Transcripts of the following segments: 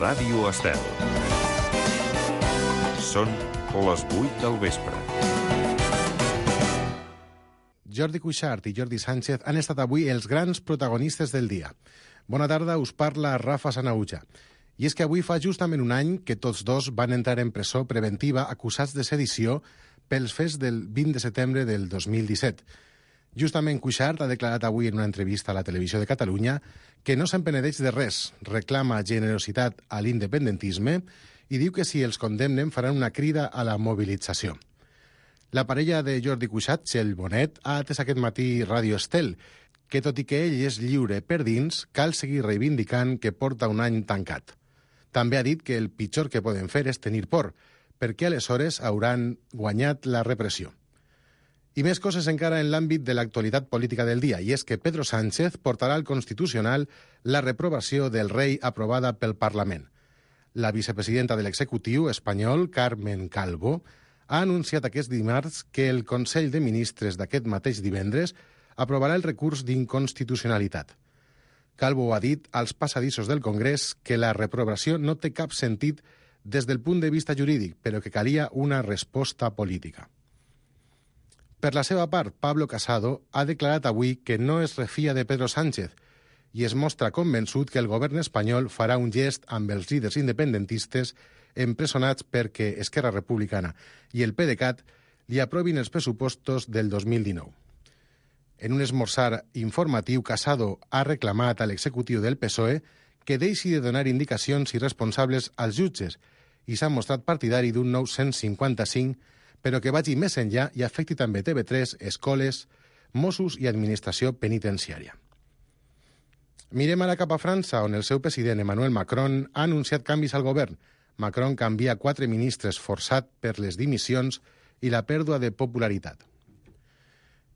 Ràdio Estel. Són les 8 del vespre. Jordi Cuixart i Jordi Sánchez han estat avui els grans protagonistes del dia. Bona tarda, us parla Rafa Sanauja. I és que avui fa justament un any que tots dos van entrar en presó preventiva acusats de sedició pels fets del 20 de setembre del 2017. Justament Cuixart ha declarat avui en una entrevista a la Televisió de Catalunya que no se'n penedeix de res, reclama generositat a l'independentisme i diu que si els condemnen faran una crida a la mobilització. La parella de Jordi Cuixart, Txell Bonet, ha atès aquest matí Ràdio Estel, que tot i que ell és lliure per dins, cal seguir reivindicant que porta un any tancat. També ha dit que el pitjor que poden fer és tenir por, perquè aleshores hauran guanyat la repressió. I més coses encara en l'àmbit de l'actualitat política del dia, i és que Pedro Sánchez portarà al Constitucional la reprovació del rei aprovada pel Parlament. La vicepresidenta de l'executiu espanyol, Carmen Calvo, ha anunciat aquest dimarts que el Consell de Ministres d'aquest mateix divendres aprovarà el recurs d'inconstitucionalitat. Calvo ha dit als passadissos del Congrés que la reprovació no té cap sentit des del punt de vista jurídic, però que calia una resposta política. Per la seva part, Pablo Casado ha declarat avui que no es refia de Pedro Sánchez i es mostra convençut que el govern espanyol farà un gest amb els líders independentistes empresonats perquè Esquerra Republicana i el PDeCAT li aprovin els pressupostos del 2019. En un esmorzar informatiu, Casado ha reclamat a l'executiu del PSOE que deixi de donar indicacions irresponsables als jutges i s'ha mostrat partidari d'un nou 155, però que vagi més enllà i afecti també TV3, escoles, Mossos i administració penitenciària. Mirem ara cap a França, on el seu president Emmanuel Macron ha anunciat canvis al govern. Macron canvia 4 ministres forçat per les dimissions i la pèrdua de popularitat.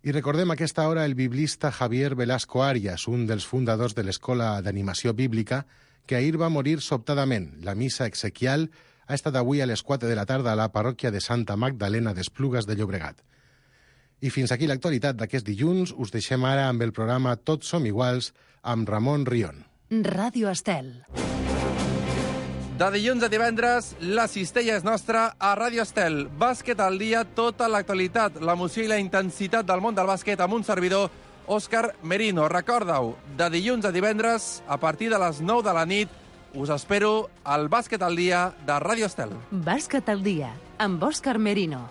I recordem a aquesta hora el biblista Javier Velasco Arias, un dels fundadors de l'Escola d'Animació Bíblica, que ahir va morir sobtadament. La missa exequial ha estat avui a les 4 de la tarda a la parròquia de Santa Magdalena d'Esplugues de Llobregat. I fins aquí l'actualitat d'aquest dilluns. Us deixem ara amb el programa Tots som iguals amb Ramon Rion. Ràdio Estel. De dilluns a divendres, la cistella és nostra a Ràdio Estel. Bàsquet al dia, tota l'actualitat, l'emoció i la intensitat del món del bàsquet amb un servidor, Òscar Merino. Recorda-ho, de dilluns a divendres, a partir de les 9 de la nit, us espero al Bàsquet al dia de Ràdio Estel. Bàsquet al dia, amb Òscar Merino.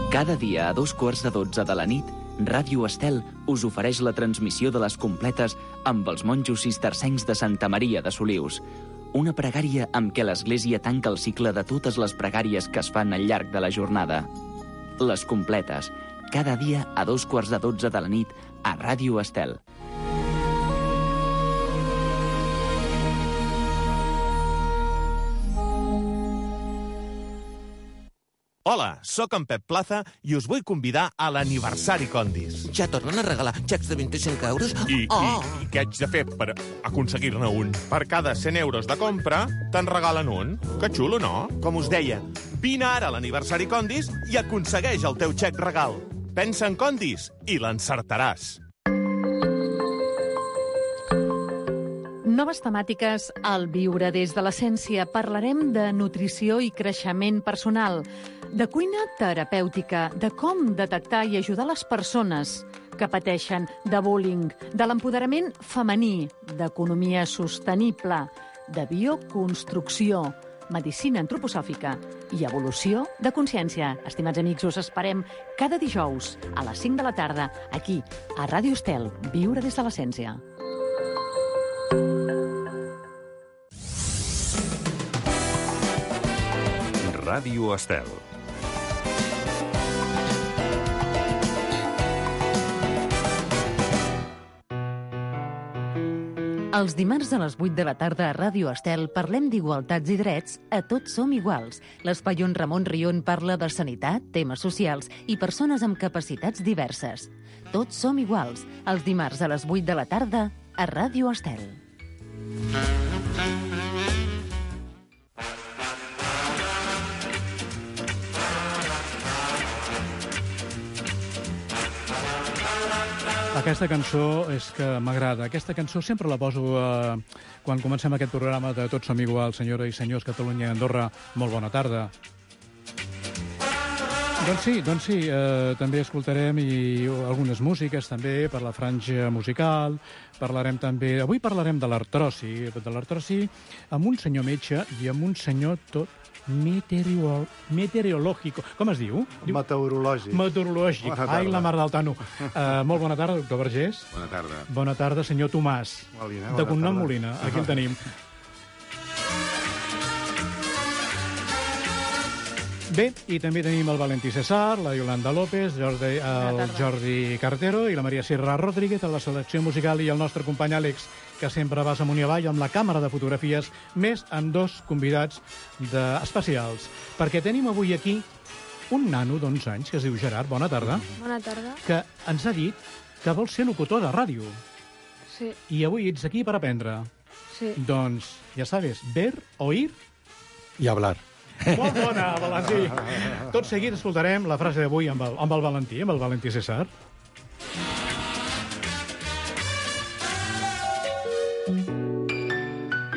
Cada dia a 2:15 de la nit, Ràdio Estel us ofereix la transmissió de les completes amb els monjos cistercencs de Santa Maria de Solius. Una pregària amb què l'Església tanca el cicle de totes les pregàries que es fan al llarg de la jornada. Les completes, cada dia a 2:15 de la nit a Ràdio Estel. Hola, sóc en Pep Plaza i us vull convidar a l'aniversari Condis. Ja tornen a regalar xecs de 25 euros? I què haig de fer per aconseguir-ne un? Per cada 100 euros de compra, te'n regalen un. Que xulo, no? Com us deia, vine ara a l'aniversari Condis i aconsegueix el teu xec regal. Pensa en Condis i l'encertaràs. Noves temàtiques al Viure des de l'Essència. Parlarem de nutrició i creixement personal, de cuina terapèutica, de com detectar i ajudar les persones que pateixen de bullying, de l'empoderament femení, d'economia sostenible, de bioconstrucció, medicina antroposòfica i evolució de consciència. Estimats amics, us esperem cada dijous a les 5 de la tarda, aquí, a Ràdio Estel, Viure des de l'Essència. Ràdio Estel. Els dimarts a les 8 de la tarda a Ràdio Estel parlem d'igualtats i drets a Tots som iguals. L'espai on Ramon Rion parla de sanitat, temes socials i persones amb capacitats diverses. Tots som iguals, els dimarts a les 8 de la tarda a Ràdio Estel. Aquesta cançó és que m'agrada. Aquesta cançó sempre la poso quan comencem aquest programa de Tots som iguals, senyores i senyors, Catalunya i Andorra. Molt bona tarda. Doncs sí, també escoltarem algunes músiques també per la franja musical. Parlarem també... Avui parlarem de l'artrosi amb un senyor metge i amb un senyor tot meteorològic. Com es diu? Meteorològic. Meteorològic. Ai, la mar del Tano. Molt bona tarda, doctor Vergés. Bona tarda. Bona tarda, senyor Tomàs. Molina, de cognom Molina. Aquí el tenim. Bé, i també tenim el Valentí César, la Yolanda López, el Jordi Cartero i la Maria Sierra Rodríguez a la selecció musical i el nostre company Àlex, que sempre vas amunt i avall amb la càmera de fotografies, més amb dos convidats especials. Perquè tenim avui aquí un nano d'11 anys que es diu Gerard, bona tarda. Bona tarda. Que ens ha dit que vol ser locutor de ràdio. Sí. I avui ets aquí per aprendre. Sí. Doncs, ja sabes, ver, oír I hablar. Molt bona, Valentí. Tot seguit escoltarem la frase d'avui amb el Valentí César.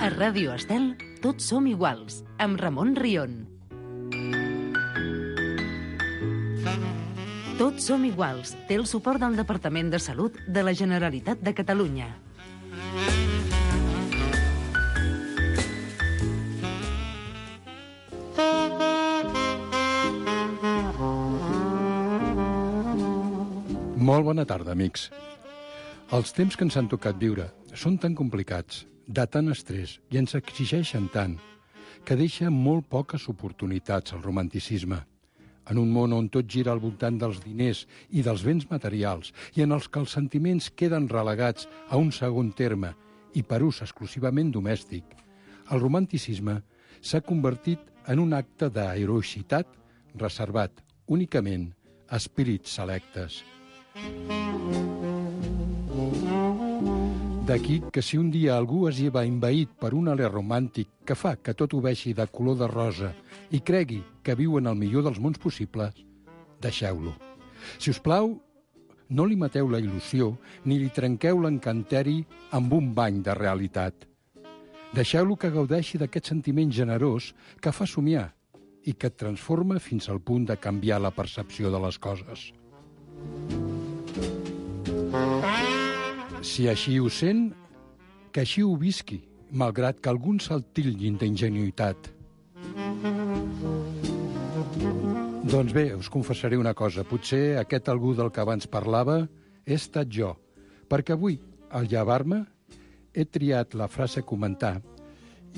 A Ràdio Estel, tots som iguals, amb Ramon Rion. Tots som iguals té el suport del Departament de Salut de la Generalitat de Catalunya. Molt bona tarda, amics. Els temps que ens han tocat viure són tan complicats, de tant estrès, i ens exigeixen tant, que deixa molt poques oportunitats al romanticisme. En un món on tot gira al voltant dels diners i dels béns materials, i en els que els sentiments queden relegats a un segon terme i per ús exclusivament domèstic, el romanticisme s'ha convertit en un acte d'heroïcitat reservat únicament a espírits selectes. D'aquí que si un dia algú es lleva envaït per un alè romàntic que fa que tot ho vegi de color de rosa i cregui que viu en el millor dels mons possibles, deixeu-lo. Si us plau, no li mateu la il·lusió ni li trenqueu l'encanteri amb un bany de realitat. Deixeu-lo que gaudeixi d'aquest sentiment generós que fa somiar i que et transforma fins al punt de canviar la percepció de les coses. Si així ho sent, que així ho visqui, malgrat que alguns se'l titllin d'ingenuïtat. Doncs bé, us confessaré una cosa. Potser aquest algú del que abans parlava he estat jo, perquè avui, al llevar-me, he triat la frase a comentar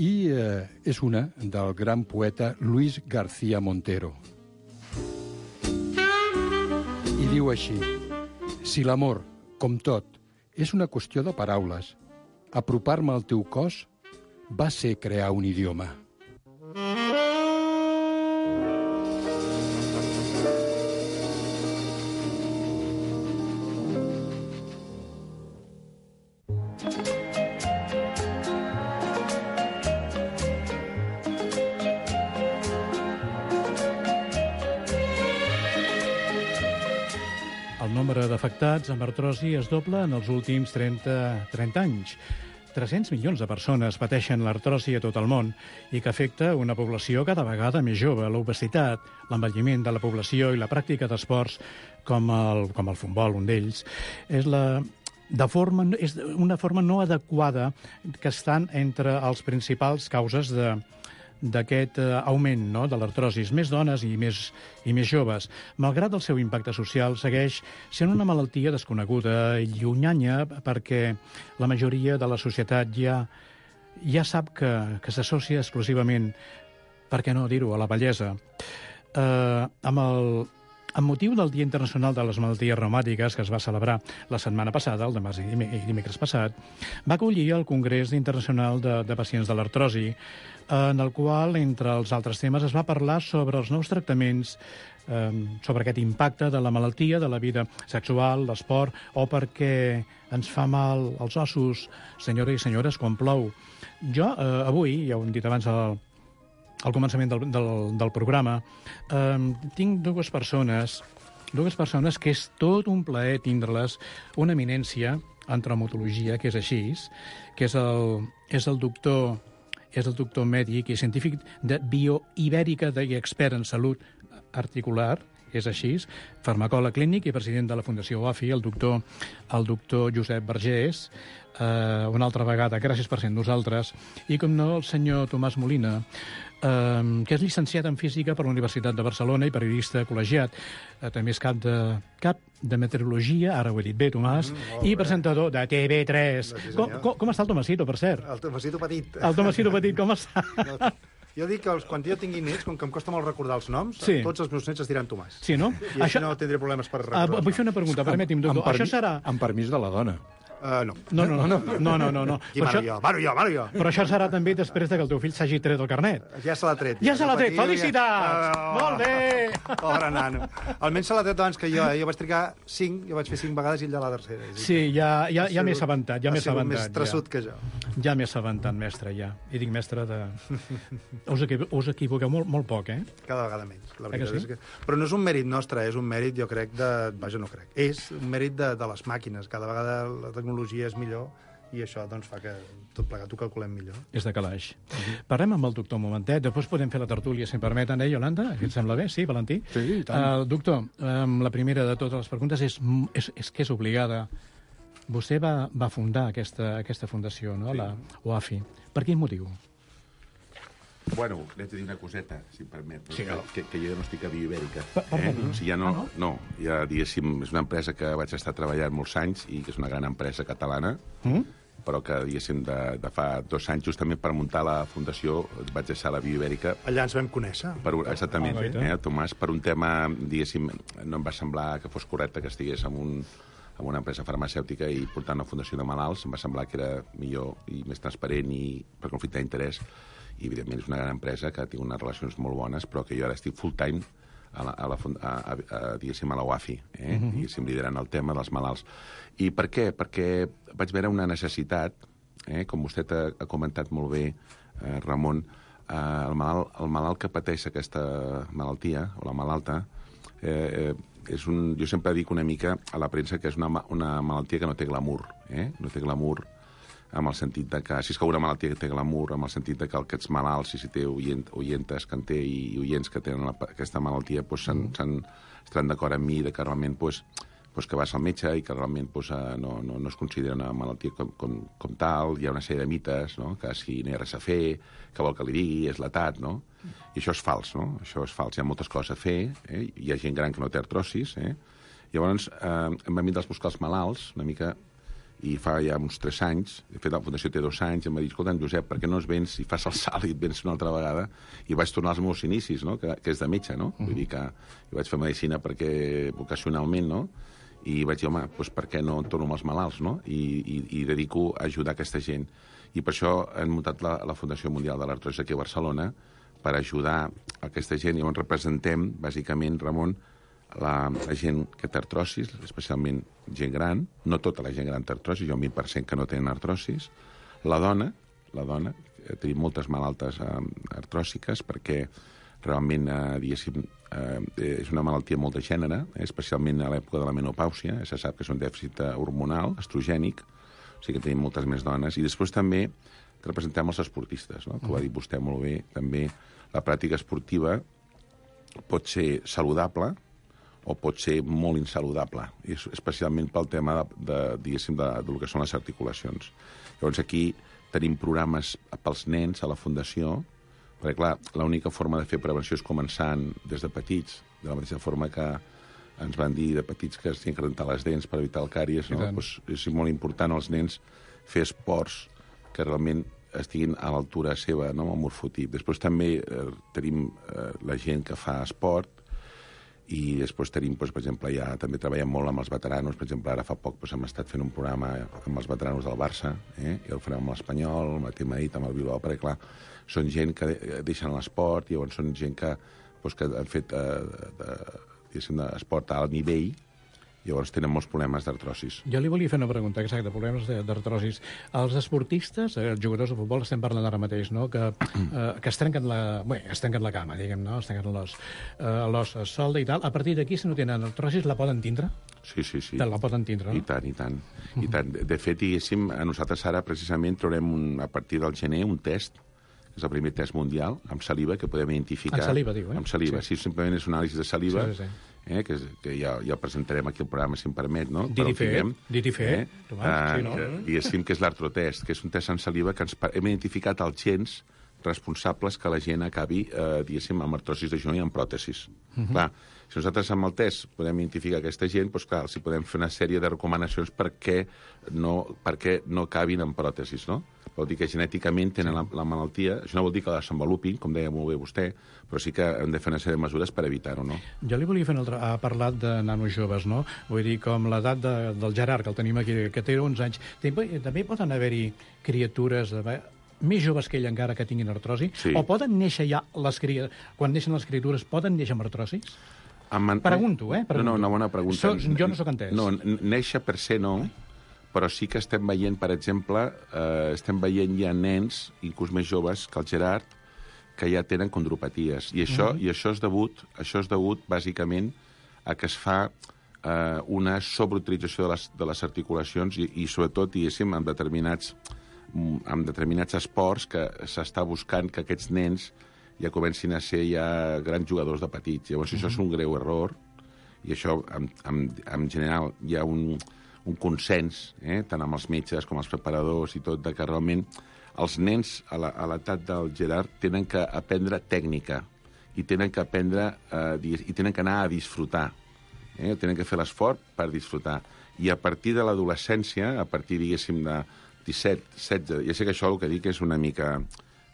i és una del gran poeta Luis García Montero. I diu així: si l'amor, com tot, és una qüestió de paraules, apropar-me al teu cos va ser crear un idioma. El nombre d'afectats amb artrosi es dobla en els últims 30 anys. 300 milions de persones pateixen l'artrosi a tot el món i que afecta una població cada vegada més jove. L'obesitat, l'envelliment de la població i la pràctica d'esports com el futbol, un d'ells, és una forma no adequada que estan entre les principals causes d'aquest augment, no?, de l'artrosi. Més dones i més joves. Malgrat el seu impacte social, segueix sent una malaltia desconeguda i llunyana perquè la majoria de la societat ja sap que s'associa exclusivament, per què no dir-ho, a la bellesa. Amb motiu del Dia Internacional de les Malalties Reumàtiques, que es va celebrar la setmana passada, el demà i dimecres passat, va acollir el Congrés Internacional de Pacients de l'Artrosi, en el qual, entre els altres temes, es va parlar sobre els nous tractaments, sobre aquest impacte de la malaltia, de la vida sexual, l'esport, o perquè ens fa mal als ossos, senyores i senyores, quan plou. Jo, avui, ja ho hem dit abans al començament del programa, tinc dues persones dues persones que és tot un plaer tindre-les, una eminència en traumatologia, que és així, que és el doctor mèdic i científic de bioibèrica i expert en salut articular, és així, farmacòleg clínic i president de la Fundació OAFI, el doctor Josep Vergés. Una altra vegada, gràcies per ser amb nosaltres. I, com no, el senyor Tomàs Molina, que és llicenciat en Física per la Universitat de Barcelona i periodista col·legiat. També és cap de meteorologia, ara ho he dit bé, Tomàs, i presentador de TV3. Com està el Tomasito, per cert? El Tomasito petit. El Tomasito petit, com està? Jo dic que quan jo tingui nets, com que em costa molt recordar els noms, tots els meus nets es diran Tomàs. Sí, no? I així no tindré problemes per recordar. Vull fer una pregunta, permeti'm, doctor. Això serà... Amb permís de la dona. No. No. Maro jo. Però això serà també després que el teu fill s'hagi tret el carnet. Ja se l'ha tret. Ja se l'ha tret, felicitats! Molt bé! Pobre nano. Almenys se l'ha tret abans que jo. Jo vaig trigar 5, jo vaig fer 5 vegades i ell de la tercera. Sí, ja m'he assabentat. Ha sigut més traçut que jo. Ja m'he assabentat, mestre, ja. I dic mestre de... Us equivoqueu molt poc, eh? Cada vegada menys. La veritat és que... Però no és un mèrit nostre, és un mèrit, jo crec, de... Vaja, no crec. És un mèrit de les màquines. Cada vegada la tecnologia és millor i això doncs, fa que tot plegat ho calculem millor. És de calaix. Parlem amb el doctor un momentet, després podem fer la tertúlia, si em permeten, Yolanda? Et sembla bé? Sí, Valentí? Sí, i tant. Doctor, la primera de totes les preguntes és que és obligada. Vostè va fundar aquesta fundació, no? La OAFI. Per quin motiu? Bueno, l'he de dir una coseta, si em permet, sí, que jo no estic a Bioibèrica. No? Si ja no, ja, diguéssim, és una empresa que vaig estar treballant molts anys i que és una gran empresa catalana, però que, diguéssim, de fa 2 anys, justament per muntar la fundació, vaig deixar la Bioibèrica. Allà ens vam conèixer. Exactament, Tomàs, per un tema, diguéssim, no em va semblar que fos correcte que estigués en una empresa farmacèutica i portant una fundació de malalts, em va semblar que era millor i més transparent i per conflicte d'interès. I, evidentment, és una gran empresa que té unes relacions molt bones, però que jo ara estic full-time diguéssim, a la UAFI, diguéssim, liderant el tema dels malalts. I per què? Perquè vaig veure una necessitat, com vostè ha comentat molt bé, Ramon, el malalt que pateix aquesta malaltia, o la malalta, jo sempre dic una mica a la premsa que és una malaltia que no té glamour, no té glamour, amb el sentit de que, si és que una malaltia que té glamour, amb el sentit de que aquests malalts, si té oientes que en té i oients que tenen aquesta malaltia, estaran d'acord amb mi que realment que vas al metge i que realment no es considera una malaltia com tal, hi ha una sèrie de mites, no? Que si no hi ha res a fer, que vol que li digui, és l'edat, no? I això és fals, no? Això és fals, hi ha moltes coses a fer, hi ha gent gran que no té artrosis, Llavors, em van vindre a buscar els malalts, una mica, i fa ja uns 3 anys, de fet la Fundació té 2 anys, i em va dir, escolta, Josep, per què no es vens i fas el salt i et vens una altra vegada? I vaig tornar als meus inicis, no? Que és de metge, no? Vull dir que jo vaig fer medicina vocacionalment, no? I vaig dir, home, doncs per què no torno amb els malalts, no? I dedico a ajudar aquesta gent. I per això hem muntat la Fundació Mundial de l'Artrosi aquí a Barcelona, per ajudar aquesta gent. I on representem, bàsicament, Ramon, la gent que té artrosis, especialment gent gran, no tota la gent gran té artrosis, hi ha un 20% que no tenen artrosis, la dona, tenim moltes malaltes artròsiques perquè realment, diguéssim, és una malaltia molt de gènere, especialment a l'època de la menopàusia, se sap que és un dèficit hormonal, estrogènic, o sigui que tenim moltes més dones, i després també representem els esportistes, no? Que ho ha dit vostè molt bé, també la pràctica esportiva pot ser saludable, o pot ser molt insaludable, especialment pel tema diguéssim, del que són les articulacions. Llavors aquí tenim programes pels nens a la Fundació, perquè clar, l'única forma de fer prevenció és començant des de petits, de la mateixa forma que ens van dir de petits que es tenen que rentar les dents per evitar el càries, no? Doncs és molt important als nens fer esports que realment estiguin a l'altura seva, no? Amb el morfotip. Després també tenim la gent que fa esport, i després tenim, per exemple, ja també treballem molt amb els veteranos. Per exemple, ara fa poc hem estat fent un programa amb els veteranos del Barça, i el farem amb l'Espanyol, amb el Madrid, amb el Bilbao, perquè, clar, són gent que deixen l'esport, i llavors són gent que han fet esport a alt nivell Llavors tenen molts problemes d'artrosis. Jo li volia fer una pregunta, exacte, problemes d'artrosis. Els esportistes, els jugadors de futbol, estem parlant ara mateix, no?, que es trenquen la cama, diguem, no?, es trenquen l'os solda i tal. A partir d'aquí, si no tenen artrosis, la poden tindre? Sí. La poden tindre, no? I tant. De fet, diguéssim, a nosaltres ara precisament traurem a partir del gener un test, que és el primer test mundial, amb saliva, que podem identificar... Amb saliva, diu, Amb saliva, sí, simplement és una anàlisi de saliva, sí. Que ja el presentarem aquí al programa, si em permet, no? Dit i fet. Diguéssim que és l'artrotest, que és un test en saliva que hem identificat els gens responsables que la gent acabi, diguéssim, amb artrosis de genoll i amb pròtesis. Clar, si nosaltres amb el test podem identificar aquesta gent, doncs clar, els podem fer una sèrie de recomanacions perquè no acabin amb pròtesis, no? Vol dir que genèticament tenen la malaltia. Això no vol dir que la desenvolupin, com deia molt bé vostè, però sí que hem de fer una sèrie de mesures per evitar-ho, no? Jo li volia fer ha parlat de nanos joves, no? Vull dir, com l'edat del Gerard, que el tenim aquí, que té 11 anys. També poden haver-hi criatures més joves que ell encara que tinguin artrosi? Sí. O poden néixer ja quan neixen les criatures, poden néixer amb artrosis? Pregunto. No, una bona pregunta. Jo no sóc entès. No, néixer per ser no, però sí que estem veient, per exemple, ja nens, inclús més joves que el Gerard, que ja tenen condropaties. I això és degut, bàsicament, a que es fa una sobreutilització de les articulacions i sobretot, diguéssim, amb determinats esports que s'està buscant que aquests nens ja comencin a ser ja grans jugadors de petits. Llavors, això és un greu error i això, en general, hi ha un consens, tant amb els metges com els preparadors i tot, que realment els nens a l'edat del Gerard tenen que aprendre tècnica i tenen que aprendre i tenen que anar a disfrutar. Tenen que fer l'esforç per disfrutar. I a partir de l'adolescència, a partir, diguéssim, de 17, 16... Ja sé que això el que dic és una mica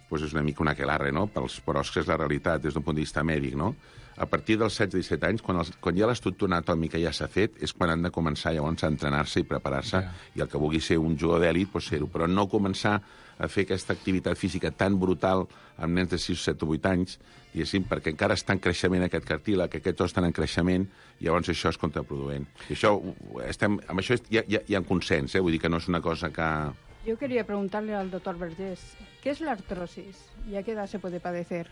un aquelarre, no? Però és que és la realitat des d'un punt de vista mèdic, no? A partir dels 16-17 anys, quan ja l'estructura anatòmica ja s'ha fet, és quan han de començar llavors a entrenar-se i preparar-se, i el que vulgui ser un jugador d'èlit, doncs ser-ho, però no començar a fer aquesta activitat física tan brutal amb nens de 6, 7 o 8 anys, diguéssim, perquè encara està en creixement aquest cartílag, que aquests os estan en creixement, i llavors això és contraproduent. I això, amb això hi ha consens, vull dir que no és una cosa que... Yo quería preguntarle al doctor Vergés, ¿qué es la artrosis y a qué edad se puede padecer?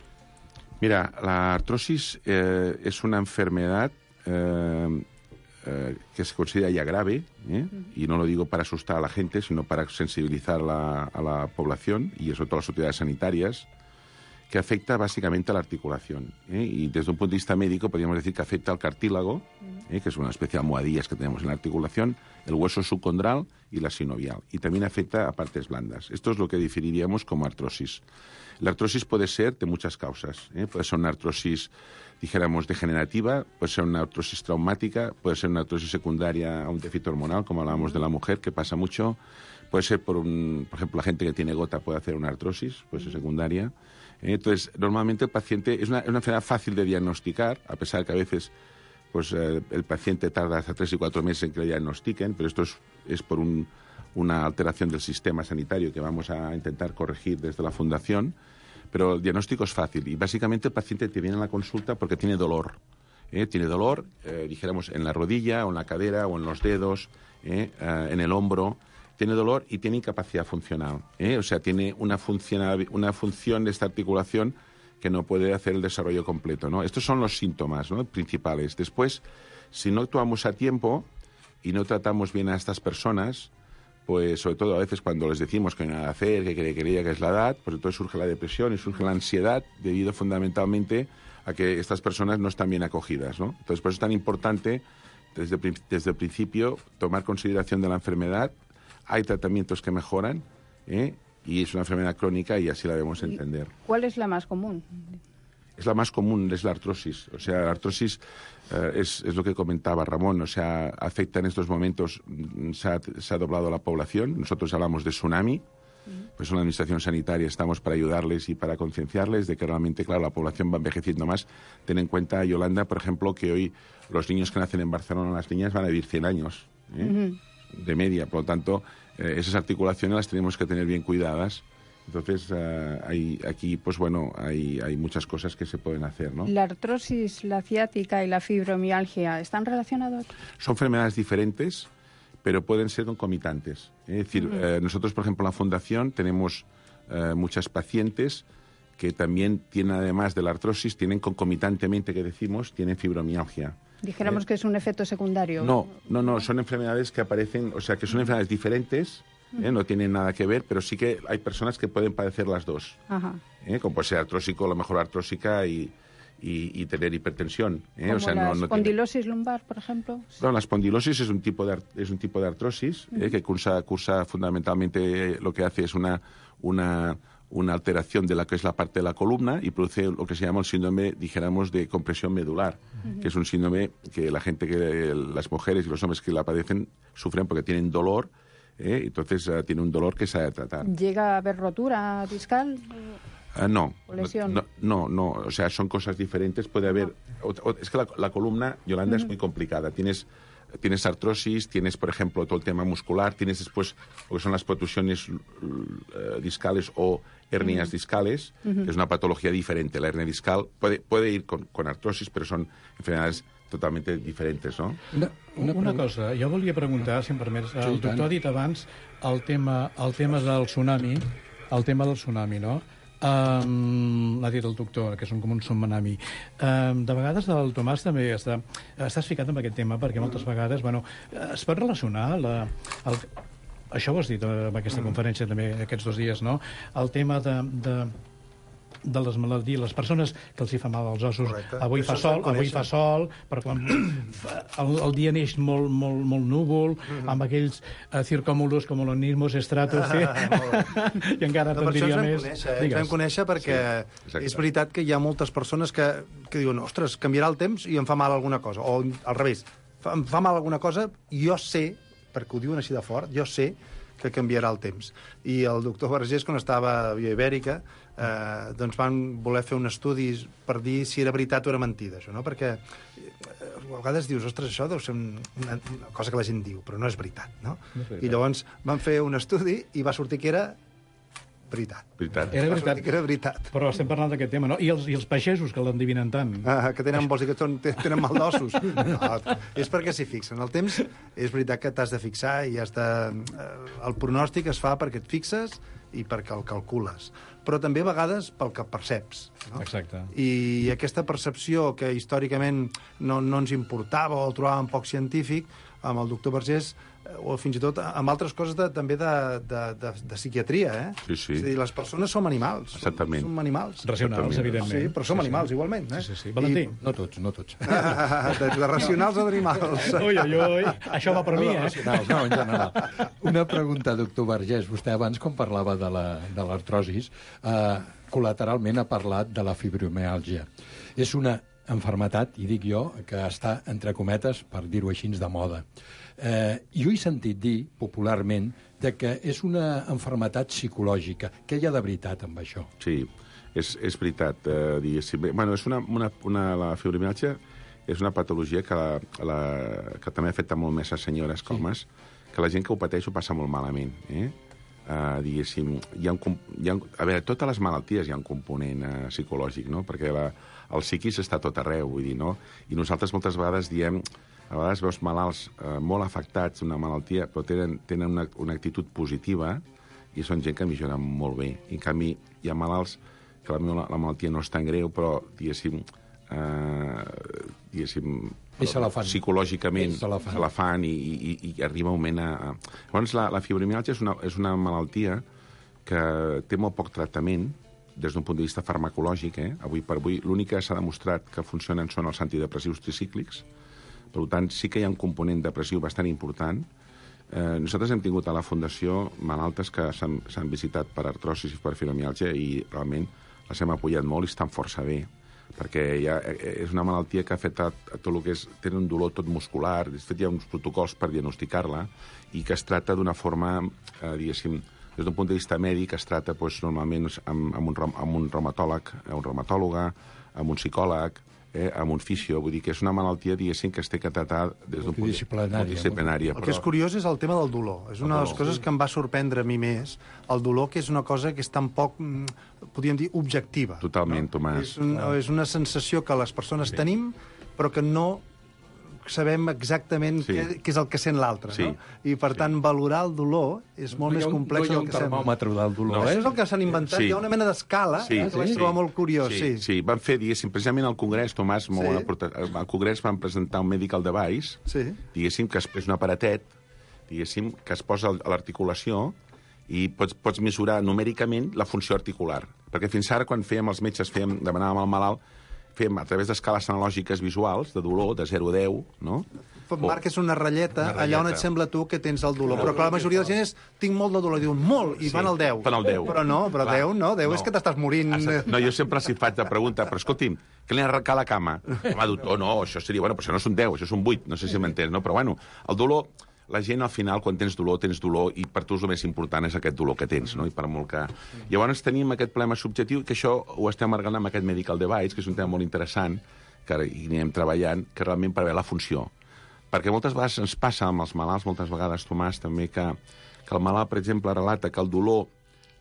Mira, la artrosis es una enfermedad que se considera ya grave, y no lo digo para asustar a la gente, sino para sensibilizar a la población y sobre todo a las autoridades sanitarias, que afecta básicamente a la articulación. Y desde un punto de vista médico podríamos decir que afecta al cartílago, que es una especie de almohadillas que tenemos en la articulación, el hueso subcondral y la sinovial. Y también afecta a partes blandas. Esto es lo que definiríamos como artrosis. La artrosis puede ser de muchas causas. Puede ser una artrosis, dijéramos, degenerativa, puede ser una artrosis traumática, puede ser una artrosis secundaria a un déficit hormonal, como hablábamos de la mujer, que pasa mucho. Puede ser por ejemplo, la gente que tiene gota puede hacer una artrosis, puede ser secundaria. Entonces, normalmente el paciente es una enfermedad fácil de diagnosticar, a pesar de que a veces el paciente tarda hasta 3 y 4 meses en que le diagnostiquen, pero esto es por una alteración del sistema sanitario que vamos a intentar corregir desde la Fundación, pero el diagnóstico es fácil y básicamente el paciente te viene a la consulta porque tiene dolor. Tiene dolor, dijéramos, en la rodilla o en la cadera o en los dedos, en el hombro. Tiene dolor y tiene incapacidad funcional. O sea, tiene una función de esta articulación que no puede hacer el desarrollo completo, ¿no? Estos son los síntomas, ¿no?, principales. Después, si no actuamos a tiempo y no tratamos bien a estas personas, pues sobre todo a veces cuando les decimos que no hay nada a hacer, que creía que es la edad, pues entonces surge la depresión y surge la ansiedad debido fundamentalmente a que estas personas no están bien acogidas, ¿no? Entonces, por eso es tan importante desde el principio tomar consideración de la enfermedad. Hay tratamientos que mejoran, y es una enfermedad crónica y así la debemos entender. ¿Cuál es la más común? Es la más común, es la artrosis. O sea, la artrosis es lo que comentaba Ramón. O sea, afecta en estos momentos, se ha doblado la población. Nosotros hablamos de tsunami. Pues en la Administración Sanitaria estamos para ayudarles y para concienciarles de que realmente, claro, la población va envejeciendo más. Ten en cuenta, Yolanda, por ejemplo, que hoy los niños que nacen en Barcelona, las niñas, van a vivir 100 años. De media, por lo tanto, esas articulaciones las tenemos que tener bien cuidadas Entonces, aquí, pues bueno, hay muchas cosas que se pueden hacer, ¿no? ¿La artrosis, la ciática y la fibromialgia están relacionados? Son enfermedades diferentes, pero pueden ser concomitantes. Es decir, nosotros, por ejemplo, en la Fundación tenemos muchas pacientes que también tienen, además de la artrosis, tienen concomitantemente, que decimos, tienen fibromialgia. Dijéramos que es un efecto secundario. No, son enfermedades que aparecen, o sea, que son enfermedades diferentes, no tienen nada que ver, pero sí que hay personas que pueden padecer las dos. Ajá. Como puede ser artrósico, a lo mejor artrósica y tener hipertensión. Como o sea, la no espondilosis lumbar, por ejemplo. No, la espondilosis es un tipo de artrosis que cursa fundamentalmente, lo que hace es una alteración de la que es la parte de la columna y produce lo que se llama el síndrome, dijéramos, de compresión medular, que es un síndrome que las mujeres y los hombres que la padecen sufren porque tienen dolor, entonces tiene un dolor que se ha de tratar. ¿Llega a haber rotura discal? No. ¿O lesión? No, o sea, son cosas diferentes. Puede haber... Es que la columna, Yolanda, es muy complicada. Tienes artrosis, tienes, por ejemplo, todo el tema muscular, tienes después lo que son las protrusiones discales o hernias discales, que es una patología diferente. La hernia discal puede ir con artrosis, però són enfermedades totalmente diferentes, no? Una cosa, jo volia preguntar, si em permets, el doctor ha dit abans el tema del tsunami, no? L'ha dit el doctor, que és com un tsunami. De vegades el Tomàs també estàs ficat en aquest tema, perquè moltes vegades es pot relacionar això ho has dit en aquesta conferència també aquests 2 dies, no? El tema de les malalties, les persones que els hi fa mal als ossos. Correcte. Avui fa sol, però quan el dia neix molt núvol, amb aquells circòmulos com l'onismos estratos, i encara te'n diria més. Ens vam conèixer perquè és veritat que hi ha moltes persones que diuen, ostres, canviarà el temps i em fa mal alguna cosa, o al revés, em fa mal alguna cosa i jo sé, perquè ho diuen així de fort, jo sé que canviarà el temps. I el doctor Vergés, quan estava a Via Ibèrica, doncs van voler fer un estudi per dir si era veritat o era mentida, això, no? Perquè a vegades dius, ostres, això deu ser una cosa que la gent diu, però no és veritat, no? I llavors van fer un estudi i va sortir que era veritat. Era veritat. Que era veritat. Però estem parlant d'aquest tema, no? I els peixesos, que l'endivinen tant. Que tenen, vols dir que tenen mal d'ossos? No, és perquè s'hi fixen. El temps és veritat que t'has de fixar i el pronòstic es fa perquè et fixes i perquè el calcules. Però també a vegades pel que perceps. No? Exacte. I aquesta percepció que històricament no ens importava o el trobàvem poc científic, amb el doctor Vergés, o fins i tot amb altres coses també de psiquiatria, Sí. És a dir, les persones som animals. Exactament. Som animals. Racionals, evidentment. Sí, però som animals, igualment. Sí. Valentí? No tots. De racionals a d'animals. Ui, això va per mi, No, en general. Una pregunta, doctor Vergés. Vostè abans, quan parlava de l'artrosis, col·lateralment ha parlat de la fibromiàlgia. És una malaltia, i dic jo, que està, entre cometes, per dir-ho així, de moda. Jo he sentit dir, popularment, que és una malaltia psicològica. Què hi ha de veritat amb això? Sí, és veritat, diguéssim. La fibromiàlgia és una patologia que també afecta molt més a senyores que homes, que la gent que ho pateix ho passa molt malament, diguéssim. A veure, totes les malalties hi ha un component psicològic, no? Perquè el psiquis està a tot arreu, vull dir, no? I nosaltres moltes vegades diem, a vegades veus malalts molt afectats d'una malaltia, però tenen una actitud positiva i són gent que millora molt bé. I en canvi, hi ha malalts que la malaltia no és tan greu, però, diguéssim, psicològicament se la fan i arriba un moment a... Llavors, la fibromiàlgia és una malaltia que té molt poc tractament des d'un punt de vista farmacològic. Avui per avui, l'únic que s'ha demostrat que funcionen són els antidepressius tricíclics. Per tant, sí que hi ha un component depressiu bastant important. Nosaltres hem tingut a la Fundació malaltes que s'han visitat per artrosis i per fibromiàlgia i realment les hem apoyat molt i estan força bé, perquè és una malaltia que ha afectat a tot el que és... Tenen un dolor tot muscular, de fet hi ha uns protocols per diagnosticar-la i que es tracta d'una forma, diguéssim, des d'un punt de vista mèdic, es tracta normalment amb un reumatòleg, una reumatòloga, amb un psicòleg, amb un fisio. Vull dir que és una malaltia, diguéssim, que es té que tratar des d'un punt multidisciplinària. El que és curiós és el tema del dolor. És una de les coses que em va sorprendre a mi més. El dolor, que és una cosa que és tan poc, podríem dir, objectiva. Totalment, Tomàs. És una sensació que les persones tenim, però que no sabem exactament què és el que sent l'altre. I, per tant, valorar el dolor és molt més complex del que sembla. No hi ha un termòmetre del dolor, Això és el que s'han inventat. Hi ha una mena d'escala que vaig trobar molt curiós. Sí, van fer, diguéssim, precisament al Congrés, Tomàs, al Congrés van presentar un medical device, diguéssim, que és un aparatet, diguéssim, que es posa a l'articulació i pots mesurar numèricament la funció articular. Perquè fins ara, quan fèiem els metges, demanàvem al malalt, fem a través d'escales analògiques visuals, de dolor, de 0 a 10, no? Marques una ratlleta allà on et sembla tu que tens el dolor. Però clar, la majoria de la gent és, tinc molt de dolor, diuen molt, i van al 10. Van al 10. Però no, 10 no, 10 és que t'estàs morint. No, jo sempre els faig la pregunta, però escolti'm, què li ha arrencat la cama? Home, doctor, no, això seria, bueno, però això no és un 10, això és un 8, no sé si m'entens, no? Però bueno, el dolor... La gent, al final, quan tens dolor, i per tu el més important és aquest dolor que tens, no? I per molt que... Llavors tenim aquest problema subjectiu, que això ho estem arreglant amb aquest medical device, que és un tema molt interessant, que ara hi anem treballant, que realment prevé la funció. Perquè moltes vegades ens passa amb els malalts, moltes vegades, Tomàs, també, que el malalt, per exemple, relata que el dolor,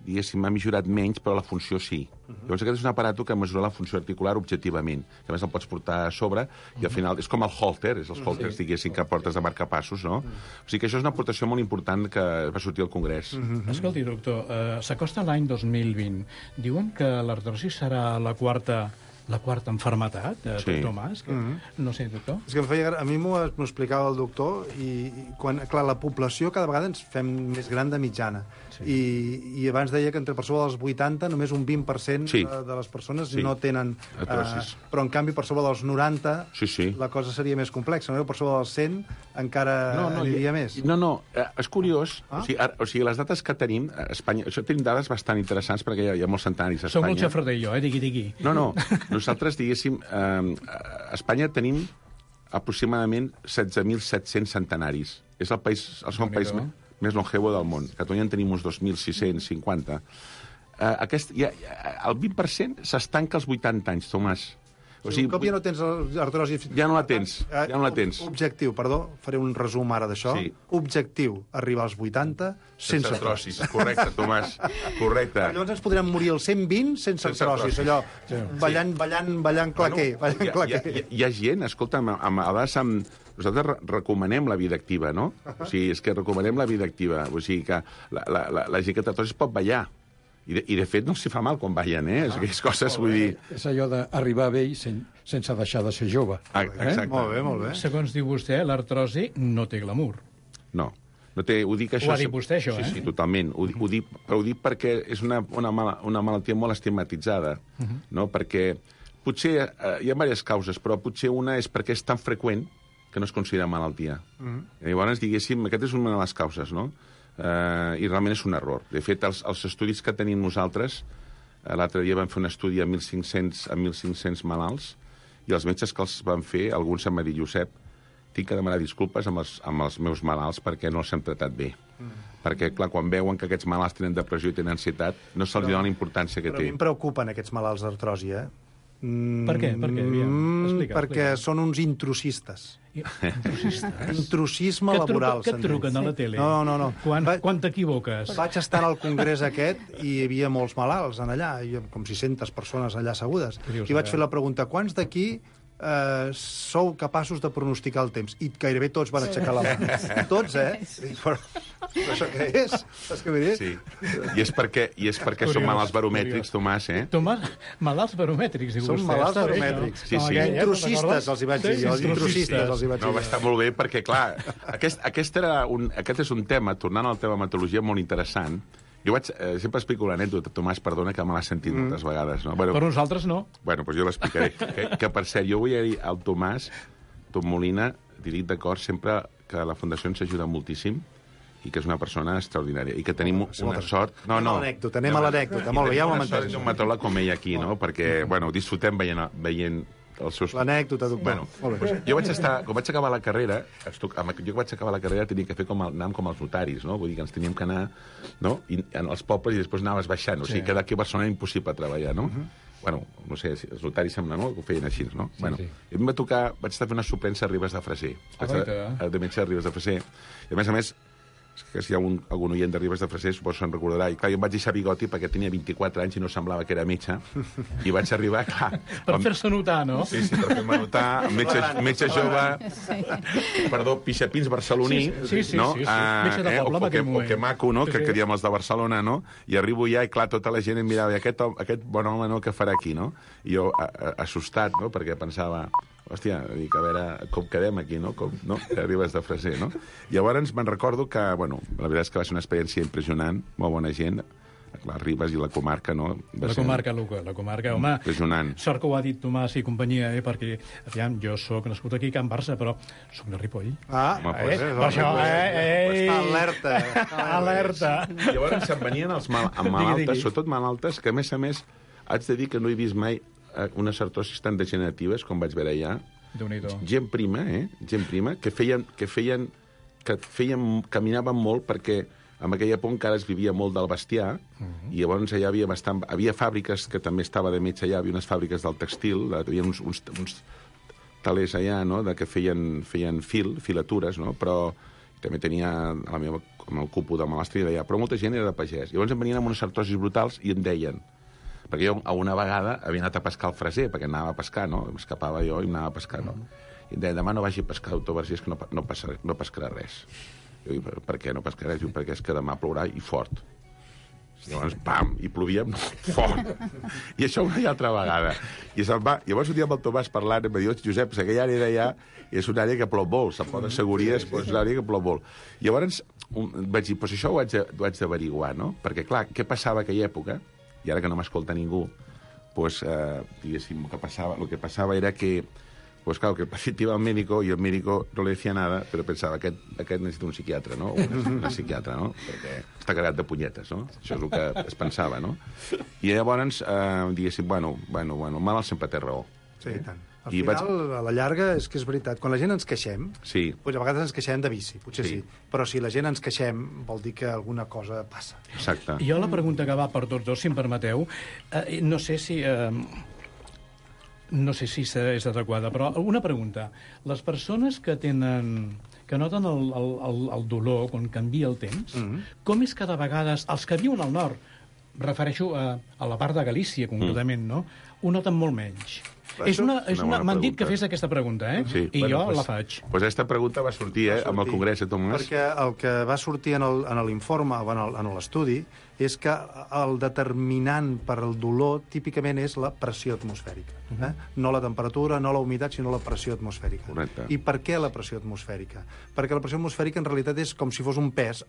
diguéssim, ha millorat menys, però la funció sí. Llavors aquest és un aparato que mesura la funció articular objectivament. A més el pots portar a sobre i al final és com el holter, és els holters, diguéssim, que portes de marcapassos, no? O sigui que això és una aportació molt important que va sortir al Congrés. Escolti, doctor, s'acosta l'any 2020. Diuen que l'artrosi serà la quarta enfermetat, doctor Mas? No sé, doctor. És que a mi m'ho explicava el doctor i quan, clar, la població cada vegada ens fem més gran de mitjana. I abans deia que entre per sobre dels 80 només un 20% de les persones no tenen... Però en canvi per sobre dels 90 la cosa seria més complexa. Per sobre dels 100 encara aniria més. No, és curiós. O sigui, les dates que tenim a Espanya... Això tenim dades bastant interessants perquè hi ha molts centenaris a Espanya. Som un xafrader jo, digui. No. Nosaltres, diguéssim, a Espanya tenim aproximadament 16.700 centenaris. És el país més longevo del món. A Catalunya en tenim uns 2.650. El 20% s'estanca als 80 anys, Tomàs. O sigui, un cop ja no tens artrosi... Ja no la tens. Objectiu, perdó, faré un resum ara d'això. Objectiu, arribar als 80 sense artrosis. Correcte, Tomàs, correcte. Llavors ens podrem morir als 120 sense artrosis, allò, ballant claquer. Hi ha gent, escolta'm, a vegades nosaltres recomanem la vida activa, no? O sigui, és que recomanem la vida activa. O sigui que la gent que té artrosis pot ballar. I de fet no s'hi fa mal quan ballen, Aquestes coses, vull dir... És allò d'arribar vell sense deixar de ser jove. Exacte. Molt bé. Segons diu vostè, l'artrosi no té glamour. No té, ho dic això... Ho ha dit vostè, això, Sí, totalment. Ho dic perquè és una malaltia molt estigmatitzada, no? Perquè potser hi ha diverses causes, però potser una és perquè és tan freqüent que no es considera malaltia. Llavors, diguéssim, aquesta és una de les causes, no? I realment és un error. De fet, els estudis que tenim nosaltres, l'altre dia vam fer un estudi a 1.500 malalts, i els metges que els van fer, alguns em va dir, Josep, tinc que demanar disculpes amb els meus malalts perquè no els hem tratat bé. Perquè, clar, quan veuen que aquests malalts tenen depressió i tenen ansietat, no se'ls dona la importància que té. Però a mi em preocupen aquests malalts d'artrosi, Per què? Perquè són uns intrusistes. Intrusisme laboral. Que et truquen a la tele? No. Quan t'equivoques? Vaig estar al congrés aquest i hi havia molts malalts allà, com 600 persones allà assegudes. I vaig fer la pregunta, quants d'aquí sou capaços de pronosticar el temps? I gairebé tots van aixecar la mà. Tots, Però això què és? Saps què vull dir? Sí. I és perquè són malalts baromètrics, Tomàs, Malalts baromètrics, diu vostè. Són malalts baromètrics. Intrusistes, els hi vaig dir. No, va estar molt bé perquè, clar, aquest és un tema, tornant al tema hematologia, molt interessant. Jo sempre explico l'anècdota, Tomàs, perdona, que me l'has sentit moltes vegades. No? Per nosaltres no. Bueno, doncs jo l'explicaré. Que, per cert, jo vull dir al Tomàs, Tom Molina, dic d'acord sempre que la Fundació ens ajuda moltíssim i que és una persona extraordinària i que tenim una sort... Anem a l'anècdota. Molt bé, ja ho hem entès. És un matòleg com ell aquí, no? Perquè, bueno, disfrutem veient els seus... L'anècdota, doctor. Bueno, jo quan vaig acabar la carrera, tenia que fer anàvem com els notaris, no? Vull dir que ens teníem que anar, no? I en els pobles i després anaves baixant. O sigui, que d'aquí a Barcelona era impossible treballar, no? bueno, no sé, els notaris sembla, no?, que ho feien així, no? Sí, Bueno, sí. a mi em va tocar, vaig estar fent una suplència a Ribes de Freser. De metge de Ribes de Freser. I a més, que si hi ha algun oient de Ribes de Freser, suposo se'n recordarà. I clar, jo em vaig deixar bigoti perquè tenia 24 anys i no semblava que era metge. I vaig arribar, clar... Per fer-se notar, no? Sí, per fer-me notar. Metge jove... Perdó, pixapins barceloní. Sí, no? Metge de poble en aquell moment. O que maco, no? Que diem els de Barcelona, no? I arribo ja i, clar, tota la gent em mirava, i aquest bon home, no?, què farà aquí, no? I jo, assustat, no?, perquè pensava... Hòstia, dic, a veure com quedem aquí, no? Com, no? Arribes de Freser, no? Llavors me'n recordo que, bueno, la veritat és que va ser una experiència impressionant, molt bona gent, les Ribes i la comarca, no? La comarca, Luca, home. Impressionant. Sort que ho ha dit Tomàs i companyia, perquè, aviam, jo sóc nascut aquí a Can Barça, però sóc de Ripoll. Per això, Està alerta. Alerta. Llavors se'n venien els malaltes, sobretot malaltes, que a més, haig de dir que no he vist mai unes artrosis tan degeneratives com vaig veure allà. Gent prima, que caminaven molt perquè en aquella època encara es vivia molt del bestiar i llavors allà havia fàbriques que també estava de metge allà, havia unes fàbriques del textil, hi havia uns talers allà, no?, que feien filatures, no?, però també tenia amb el cupo de malestar d'allà, però molta gent era de pagès. Llavors em venien amb unes artrosis brutals i em deien, perquè jo una vegada havia anat a pescar al Freser, perquè anava a pescar, no? M'escapava jo i anava a pescar, no? I em deia, demà no vagi a pescar, doctor Vergés, que no pescarà res. Jo dic, per què no pescarà res? Diu, perquè és que demà plourà i fort. Llavors, pam, i plovia fort. I això una i altra vegada. I se'n va. Llavors un dia amb el Tomàs parlant, em va dir, Josep, aquella àrea d'allà és una àrea que plou molt, se'n pot assegurir, és una àrea que plou molt. Llavors vaig dir, doncs això ho haig d'averiguar, no? Perquè, clar, què passava a aquella època? I ara que no m'escolta ningú, pues, diguéssim, lo que passava era que, pues claro, que el paciente iba al médico y el médico no le decía nada, però pensava, aquest necessita un psiquiatre, no? O una psiquiatra, no? Perquè està carregat de punyetes, no? Això és el que es pensava, no? I llavors, diguéssim, bueno, el mal sempre té raó. Sí, i tant. Al final, a la llarga, és que és veritat. Quan la gent ens queixem, doncs a vegades ens queixem de vici, potser sí. Però si la gent ens queixem, vol dir que alguna cosa passa. Exacte. Jo la pregunta que va per tots dos, si em permeteu, no sé si és adequada, però una pregunta. Les persones que noten el dolor quan canvia el temps, com és que de vegades els que viuen al nord, refereixo a la part de Galícia, concretament, no?, ho noten molt menys? M'han dit que fes aquesta pregunta, Sí. I jo la faig. Doncs aquesta pregunta va sortir, amb el Congrés, Tomàs. Perquè el que va sortir en l'informe, en l'estudi, és que el determinant per al dolor típicament és la pressió atmosfèrica. No la temperatura, no la humitat, sinó la pressió atmosfèrica. Correcte. I per què la pressió atmosfèrica? Perquè la pressió atmosfèrica en realitat és com si fos un pes.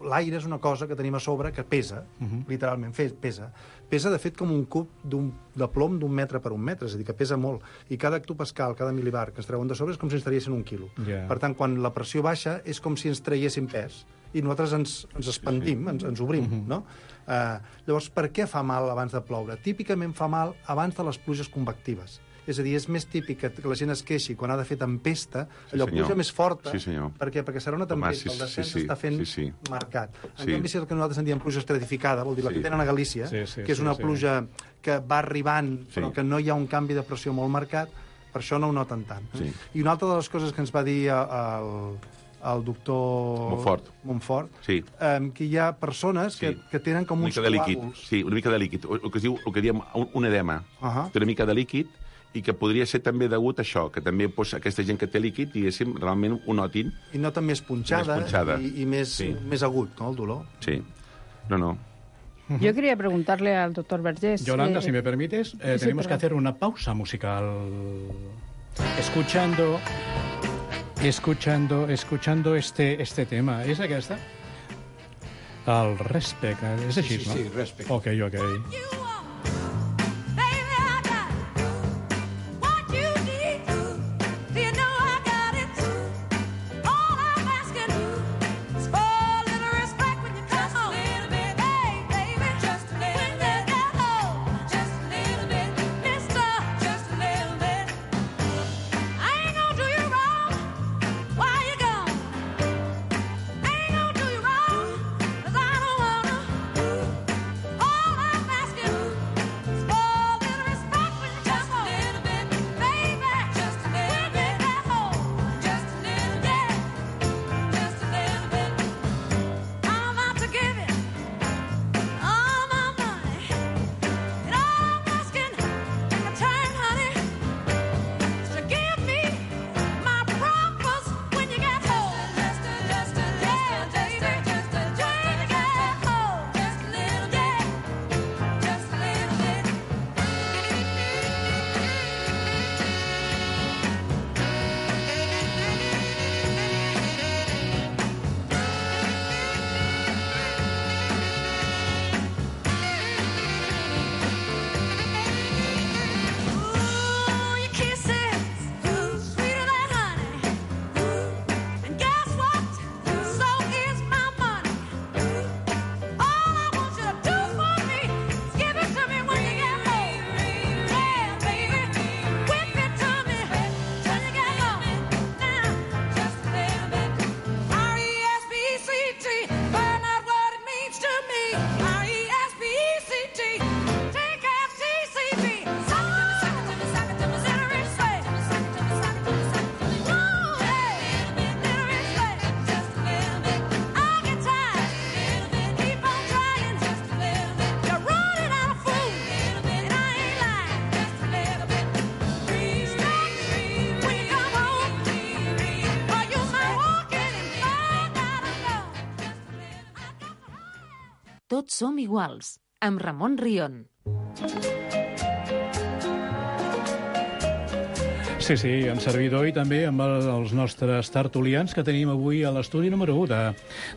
L'aire és una cosa que tenim a sobre que pesa, literalment, pesa. Pesa, de fet, com un cub de plom d'1 metre per 1 metre, és a dir, que pesa molt. I cada hectopascal, cada milibar que es treuen de sobre és com si ens traiessin 1 quilo. Per tant, quan la pressió baixa és com si ens traiessin pes. I nosaltres ens expandim, ens obrim, no? Llavors, per què fa mal abans de ploure? Típicament fa mal abans de les pluges convectives. És a dir, és més típic que la gent es queixi quan ha de fer tempesta, allò pluja més forta. Sí, senyor. Per què? Perquè serà una tempesta, el descens està fent marcat. En canvi, si el que nosaltres en diem pluja estratificada, vol dir la que tenen a Galícia, que és una pluja que va arribant, però que no hi ha un canvi de pressió molt marcat, per això no ho noten tant. I una altra de les coses que ens va dir el doctor Montfort, que hi ha persones que tenen com uns coàguls. Sí, una mica de líquid. El que diem un edema. Té una mica de líquid i que podria ser també degut a això, que també aquesta gent que té líquid, diguéssim, realment ho notin. I noten més punxada i més agut, no, el dolor. Sí. No. Yo quería preguntarle al doctor Vergés... Yolanda, si me permites, tenemos que hacer una pausa musical. Escuchando este tema. És aquesta? El Respect. És així, no? Sí, Respect. Ok. Tots som iguals, amb Ramon Rion. Sí, en servidor i també amb els nostres tertulians que tenim avui a l'estudi número 1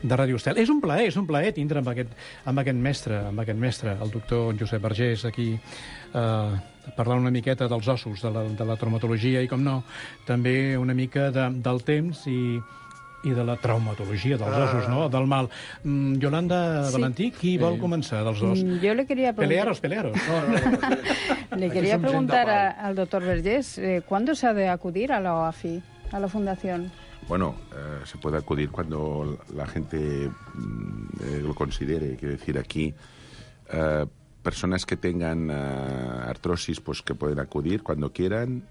de Ràdio Estel. És un plaer tindre amb aquest mestre, el doctor Josep Vergés, aquí parlar una miqueta dels ossos, de la traumatologia i, com no, també una mica del temps i de la traumatologia dels ossos, no? Del mal. Yolanda Valentí, qui vol començar dels dos? Yo le quería preguntar... Pelearos. Le quería preguntar al doctor Vergés, ¿cuándo se ha de acudir a la OAFI, a la fundación? Bueno, se puede acudir cuando la gente lo considere. Quiero decir, aquí personas que tengan artrosis, pues que pueden acudir cuando quieran.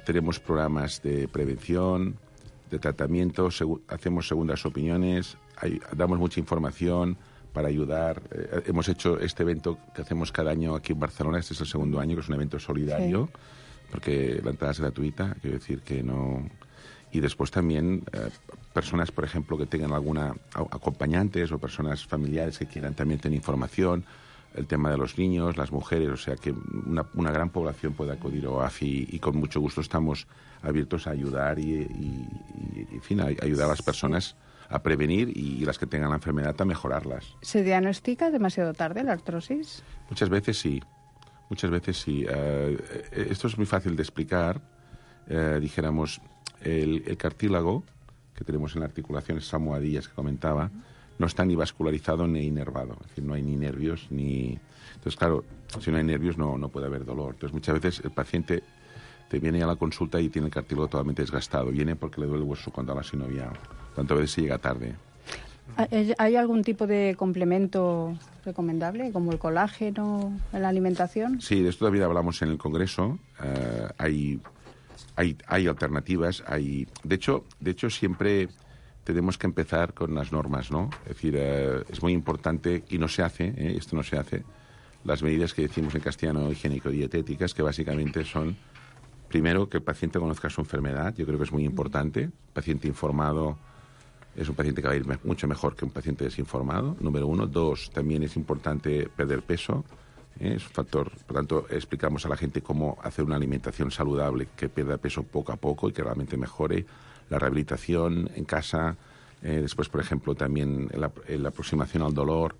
Tenemos programas de prevención, de tratamiento, hacemos segundas opiniones, damos mucha información para ayudar. Hemos hecho este evento que hacemos cada año aquí en Barcelona, este es el segundo año, que es un evento solidario, porque la entrada es gratuita, quiero decir que no... Y después también personas, por ejemplo, que tengan alguna acompañantes o personas familiares que quieran también tener información, el tema de los niños, las mujeres, o sea que una gran población puede acudir a OAFI y con mucho gusto estamos abiertos a ayudar y en fin, a ayudar a las personas a prevenir y las que tengan la enfermedad a mejorarlas. ¿Se diagnostica demasiado tarde la artrosis? Muchas veces sí. Esto es muy fácil de explicar. Dijéramos, el cartílago que tenemos en la articulación, esas almohadillas que comentaba, no está ni vascularizado ni inervado. Es decir, no hay ni nervios ni... Entonces, claro, si no hay nervios no puede haber dolor. Entonces, muchas veces el paciente te viene a la consulta y tiene el cartílago totalmente desgastado. Viene porque le duele el hueso condral sinovial. Tanto a veces se llega tarde. ¿Hay algún tipo de complemento recomendable, como el colágeno en la alimentación? Sí, de esto todavía hablamos en el Congreso. Hay alternativas. De hecho, siempre tenemos que empezar con las normas, ¿no? Es decir, es muy importante, y no se hace, esto no se hace, las medidas que decimos en castellano higiénico-dietéticas, que básicamente son, primero, que el paciente conozca su enfermedad. Yo creo que es muy importante. El paciente informado es un paciente que va a ir mucho mejor que un paciente desinformado, número 1. 2, también es importante perder peso. Es un factor, por tanto, explicamos a la gente cómo hacer una alimentación saludable, que pierda peso poco a poco y que realmente mejore. La rehabilitación en casa, después, por ejemplo, también la aproximación al dolor.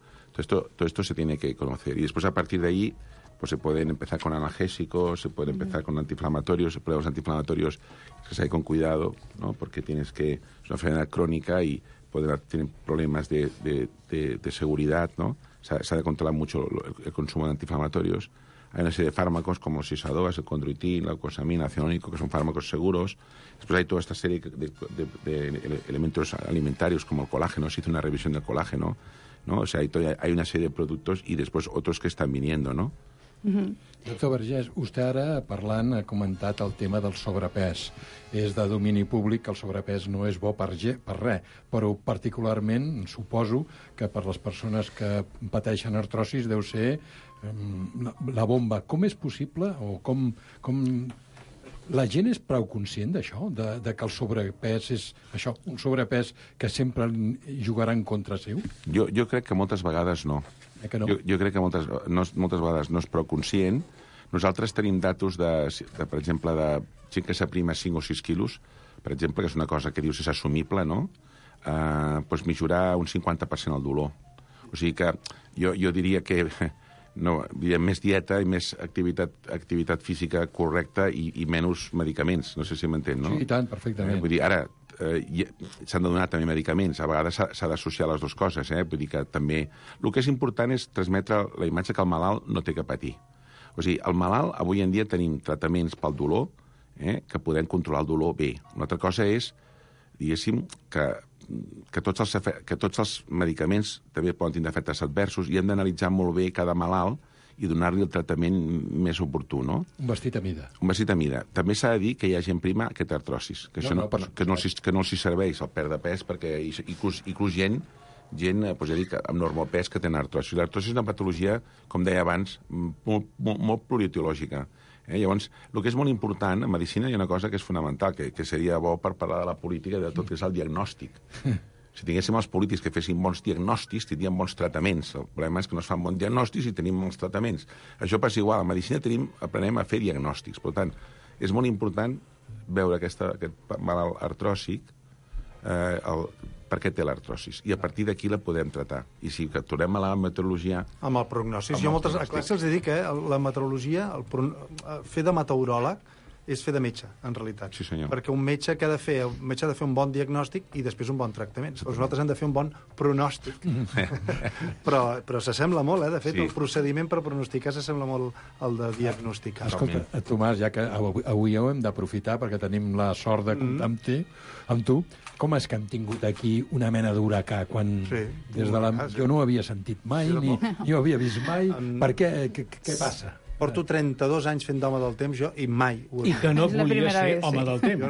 Todo esto se tiene que conocer. Y después, a partir de ahí, pues se pueden empezar con analgésicos, se puede empezar con antiinflamatorios, pruebas antiinflamatorios, que se hay con cuidado, ¿no? Porque es una enfermedad crónica y tienen problemas de seguridad, ¿no? Se ha de controlar mucho el consumo de antiinflamatorios. Hay una serie de fármacos como Sisadoas, el condroitin, la glucosamina, ácido, que son fármacos seguros. Después hay toda esta serie de elementos alimentarios como el colágeno. Se hizo una revisión del colágeno, ¿no? O sea, hay una serie de productos y después otros que están viniendo, ¿no? Doctor Vergés, vostè ara parlant ha comentat el tema del sobrepès. És de domini públic que el sobrepès no és bo per res, però particularment suposo que per les persones que pateixen artrosis deu ser la bomba. Com és possible o com la gent és prou conscient d'això, de que el sobrepès és això, un sobrepès que sempre jugarà en contra seu? Jo crec que moltes vegades no. Jo crec que moltes vegades no és prou conscient. Nosaltres tenim datos, per exemple, de gent que s'aprima 5 o 6 quilos, per exemple, que és una cosa que dius és assumible, no? Doncs millorar un 50% el dolor. O sigui que jo diria que més dieta i més activitat física correcta i menys medicaments. No sé si m'entén, no? Sí, i tant, perfectament. Vull dir, ara s'han de donar també medicaments. A vegades s'ha d'associar les dues coses, Vull dir que també... El que és important és transmetre la imatge que el malalt no té que patir. O sigui, el malalt, avui en dia tenim tractaments pel dolor, que podem controlar el dolor bé. Una altra cosa és, diguéssim, que tots els medicaments també poden tindre efectes adversos i hem d'analitzar molt bé cada malalt i donar-li el tractament més oportú, no? Un vestit a mida. Un vestit a mida. També s'ha de dir que hi ha gent prima que té artrosis, que no els serveix el perdre pes, perquè inclús gent doncs ja dic, amb normopès que tenen artrosis. L'artrosis és una patologia, com deia abans, molt plurietiològica. Llavors, el que és molt important, en medicina hi ha una cosa que és fonamental, que seria bo per parlar de la política de tot, que és el diagnòstic. Si tinguéssim els polítics que fessin bons diagnòstics, tindríem bons tractaments. El problema és que no es fan bons diagnòstics i tenim bons tractaments. Això passa igual. A medicina aprenem a fer diagnòstics. Per tant, és molt important veure aquest malalt artròsic, per què té l'artrosis, i a partir d'aquí la podem tratar. I si tornem a la meteorologia... Amb el prognòstic. Jo moltes classes els dic que la meteorologia, fer de meteoròleg, és fer de metge, en realitat. Sí, senyor. Perquè un metge que ha de fer, un bon diagnòstic i després un bon tractament. Però nosaltres hem de fer un bon pronòstic. però s'assembla molt, De fet, el procediment per pronosticar s'assembla molt al de diagnosticar. Escolta, Tomàs, ja que avui ho hem d'aprofitar perquè tenim la sort de comptar amb tu, com és que hem tingut aquí una mena d'huracà quan jo no ho havia sentit mai, ni ho havia vist mai. Per què? Què passa? Porto 32 anys fent d'home del temps, jo, i mai... I que no volies ser home del temps.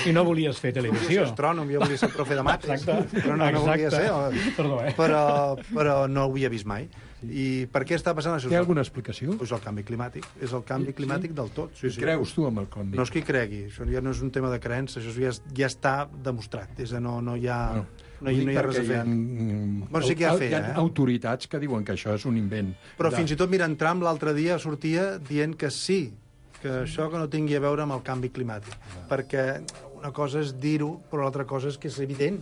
I no volies fer televisió. Jo astrònom, jo volia ser profe de mates. Però no volia ser. Perdó, Però no ho havia vist mai. I per què està passant això? Té alguna explicació? És el canvi climàtic. És el canvi climàtic del tot. Creus tu amb el canvi? No és qui cregui. Això ja no és un tema de creença. Això ja està demostrat. No hi ha... No hi ha res a fer. Sí que hi ha autoritats que diuen que això és un invent. Però fins i tot, mira, en Trump l'altre dia sortia dient que sí, que això que no tingui a veure amb el canvi climàtic. Perquè una cosa és dir-ho, però l'altra cosa és que és evident.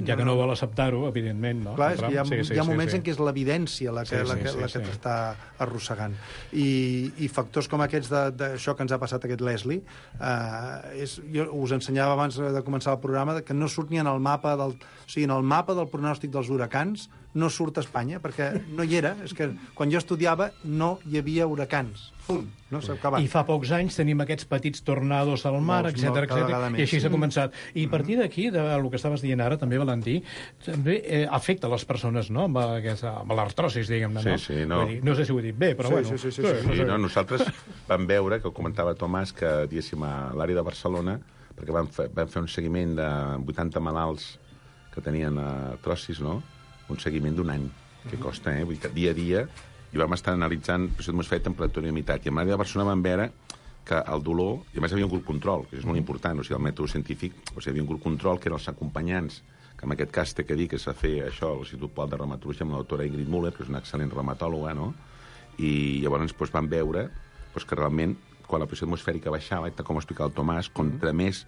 Ja que no vol acceptar-ho, evidentment, no? Clar, és que hi ha moments en què és l'evidència la que t'està arrossegant. I factors com aquests d'això que ens ha passat aquest Leslie, jo us ensenyava abans de començar el programa que no surt ni en el mapa del pronòstic dels huracans, no surt a Espanya, perquè no hi era. És que quan jo estudiava no hi havia huracans. Punt. No s'ha acabat. I fa pocs anys tenim aquests petits tornados al mar, etc i així s'ha començat. I a partir d'aquí, del que estaves dient ara, també, Valentí, també afecta les persones, no?, amb l'artrosis, diguem-ne, no? Sí, no. No sé si ho he dit bé, però bueno. Sí, nosaltres vam veure, que ho comentava Tomàs, que, diguéssim, a l'àrea de Barcelona, perquè vam fer un seguiment de 80 malalts que tenien artrosis, no?, un seguiment d'un any, que costa, vull dir que dia a dia, i vam estar analitzant pressió atmosfèrica, temperatura i humitat. I a l'àrea de Barcelona vam veure que el dolor, i a més hi havia un grup control, que és molt important, o sigui, el mètode científic, o sigui, hi havia un grup control que eren els acompanyants, que en aquest cas té que dir que s'ha fet això a l'Institut Pol de Reumatologia amb la doctora Ingrid Müller, que és una excel·lent reumatòloga, no? I llavors vam veure que realment, quan la pressió atmosfèrica baixava, com ho explica el Tomàs, contra més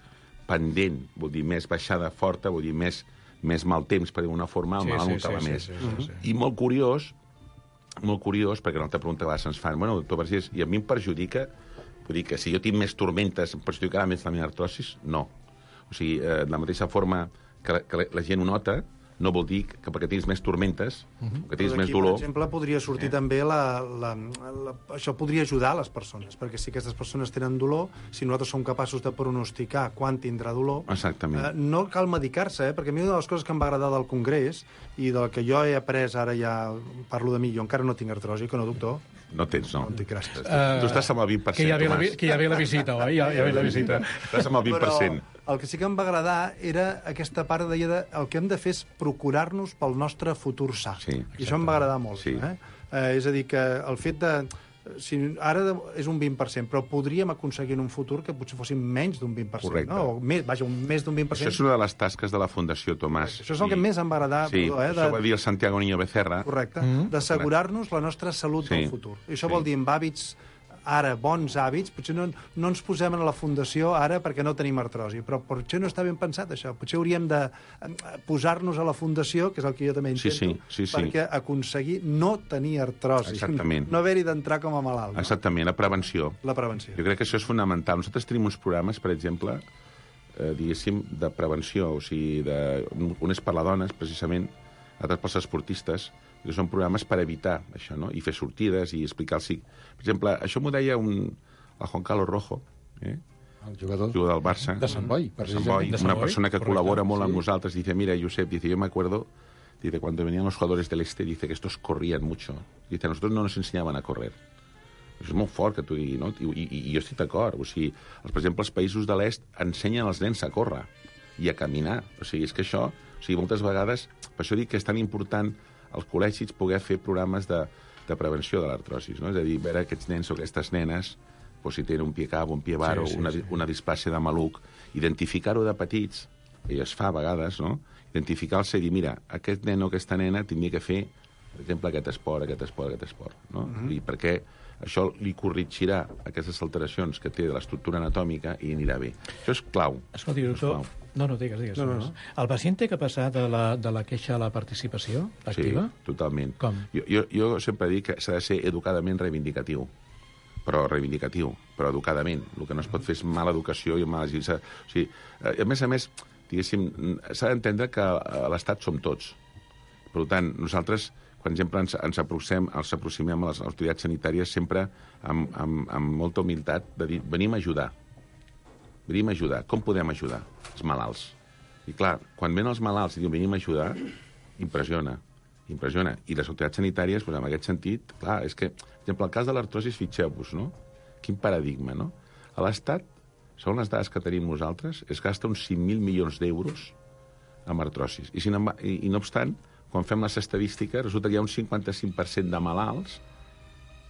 pendent, vol dir més baixada forta, vol dir més mal temps, per dir d'una forma, el malalt notava més. I molt curiós, perquè una altra pregunta que a vegades ens fan, bueno, doctor Vergés, i a mi em perjudica, vull dir que si jo tinc més tormentes, em perjudicarà més la meva artrosis? No. O sigui, de la mateixa forma que la gent ho nota, no vol dir que perquè tens més tormentes, que tens més dolor... Per exemple, podria sortir també això podria ajudar a les persones, perquè si aquestes persones tenen dolor, si nosaltres som capaços de pronosticar quan tindrà dolor... Exactament. No cal medicar-se, perquè a mi una de les coses que em va agradar del Congrés i del que jo he après, ara ja parlo de mi, jo encara no tinc artrosi, que no, doctor? No tens, no. No en tinc gràcies. Tu estàs amb el 20%, Tomàs. Que ja ve la visita, oi? Ja ve la visita. Estàs amb el 20%. Però el que sí que em va agradar era aquesta part de el que hem de fer és procurar-nos pel nostre futur sa. Sí, i això em va agradar molt. Sí. És a dir, que el fet de... ara és un 20%, però podríem aconseguir en un futur que potser fossin menys d'un 20%. Correcte. No? Més d'un 20%. Això és una de les tasques de la Fundació Tomàs. Això és el que més em va agradar. Sí, això va dir el Santiago Niño Becerra. Correcte. D'assegurar-nos la nostra salut del futur. I això vol dir amb hàbits ara, bons hàbits, potser no ens posem en la fundació ara perquè no tenim artrosi, però potser no està ben pensat això. Potser hauríem de posar-nos a la fundació, que és el que jo també intento, perquè aconseguir no tenir artrosi. Exactament. No haver-hi d'entrar com a malalt. No? Exactament, la prevenció. La prevenció. Jo crec que això és fonamental. Nosaltres tenim uns programes, per exemple, diguéssim, de prevenció, o sigui, un és per a dones, precisament, altres pels esportistes, que són programes per evitar això, no? I fer sortides i explicar-los. Per exemple, això m'ho deia el Juan Carlos Rojo, el jugador del Barça. De Sant Boi, precisament. Una persona que col·labora molt amb nosaltres. Dice, mira, Josep, yo me acuerdo, dice, cuando venían los jugadores del Este, dice que estos corrían mucho. Dice, a nosotros no nos enseñaban a correr. És molt fort que tu digui, no? I jo estic d'acord. O sigui, per exemple, els països de l'Est ensenyen als nens a córrer i a caminar. O sigui, és que això... O sigui, moltes vegades... Per això dic que és tan important als col·legis poder fer programes de prevenció de l'artrosis, no? És a dir, veure aquests nens o aquestes nenes, si tenen un pie cabo, un pie varo, una displàsia de maluc, identificar-ho de petits i es fa a vegades, no? Identificar-se i dir, mira, aquest nen o aquesta nena tindria que fer, per exemple, aquest esport, no? I perquè això li corregirà aquestes alteracions que té de l'estructura anatòmica i anirà bé. Això és clau. Escolti, doctor... No, digues. No. El pacient té que passar de la queixa a la participació activa? Sí, totalment. Com? Jo sempre dic que s'ha de ser educadament reivindicatiu, però educadament. El que no es pot fer és mala educació i mala agilització. O sigui, a més, diguéssim, s'ha d'entendre que a l'Estat som tots. Per tant, nosaltres, per exemple, ens aproximem a les autoritats sanitàries sempre amb molta humilitat de dir, venim a ajudar. Com podem ajudar? Els malalts. I clar, quan venen els malalts i diuen venim a ajudar, impressiona. I les autoritats sanitàries, en aquest sentit, clar, és que, per exemple, el cas de l'artrosi, fixeu-vos, no? Quin paradigma, no? A l'Estat, segons les dades que tenim nosaltres, es gasta uns 5.000 milions d'euros en artrosis. I no obstant, quan fem les estadístiques, resulta que hi ha un 55% de malalts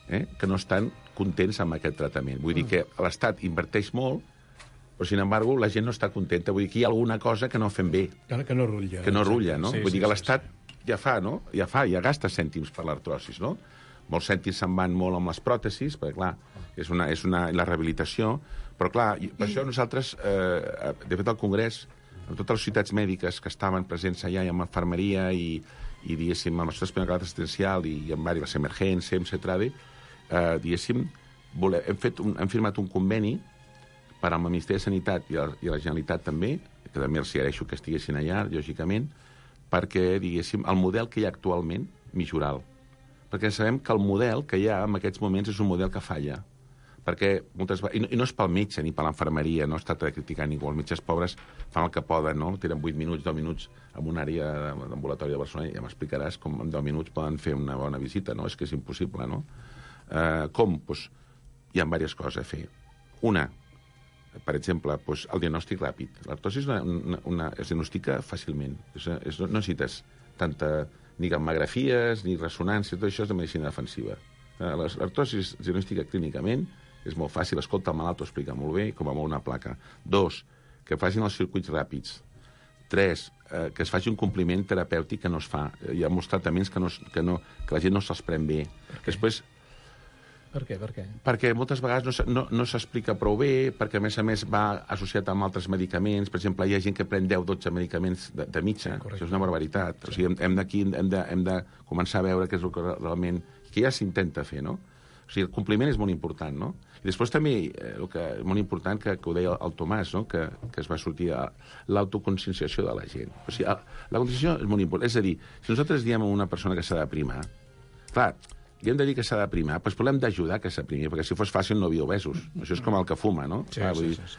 que no estan contents amb aquest tractament. Vull dir que l'Estat inverteix molt, però, sin embargo, la gent no està contenta. Vull dir que hi ha alguna cosa que no fem bé. Que no rutlla. Que no rutlla, no? Vull dir que l'Estat ja fa, no? Ja gasta cèntims per l'artrosis, no? Molts cèntims se'n van molt amb les pròtesis, perquè, clar, és la rehabilitació, però, clar, per això nosaltres, de fet, al Congrés, amb totes les societats mèdiques que estaven presents allà, i amb infermeria, i diguéssim, amb l'Associació Espanyola Assistencial, i amb les emergències, etc., diguéssim, hem firmat un conveni per al Ministeri de Sanitat i a la Generalitat també, que també els agraeixo que estiguessin allà, lògicament, perquè, diguéssim, el model que hi ha actualment, millorar-lo. Perquè sabem que el model que hi ha en aquests moments és un model que falla. Perquè moltes vegades... I no és pel metge ni per l'infermeria, no es tracta de criticar ningú. Els metges pobres fan el que poden, no? Tenen 8 minuts, 10 minuts en una àrea d'ambulatori de Barcelona, i ja m'explicaràs com en 10 minuts poden fer una bona visita, no? És que és impossible, no? Com? Doncs hi ha diverses coses a fer. Una, per exemple, el diagnòstic ràpid. L'artrosi es diagnostica fàcilment. No necessites ni gammagrafies, ni ressonància, tot això és de medicina defensiva. L'artrosi es diagnostica clínicament, és molt fàcil, escolta el malalt, ho explica molt bé, com a molt una placa. 2, que facin els circuits ràpids. 3, que es faci un compliment terapèutic que no es fa. Hi ha molts tractaments que la gent no se'ls pren bé. Després... Per què? Perquè moltes vegades no s'explica prou bé, perquè a més va associat amb altres medicaments. Per exemple, hi ha gent que pren 10-12 medicaments de mitja. Això és una barbaritat. O sigui, hem de començar a veure què és el que realment... que ja s'intenta fer, no? O sigui, el compliment és molt important, no? I després també, el que és molt important, que ho deia el Tomàs, no? Que es va sortir a l'autoconscienciació de la gent. O sigui, la conscienciació és molt important. És a dir, si nosaltres diem a una persona que s'ha de primar, clar, li hem de dir que s'ha de primar, doncs l'hem d'ajudar que s'aprimi, perquè si fos fàcil no hi havia obesos. Això és com el que fuma, no? Sí.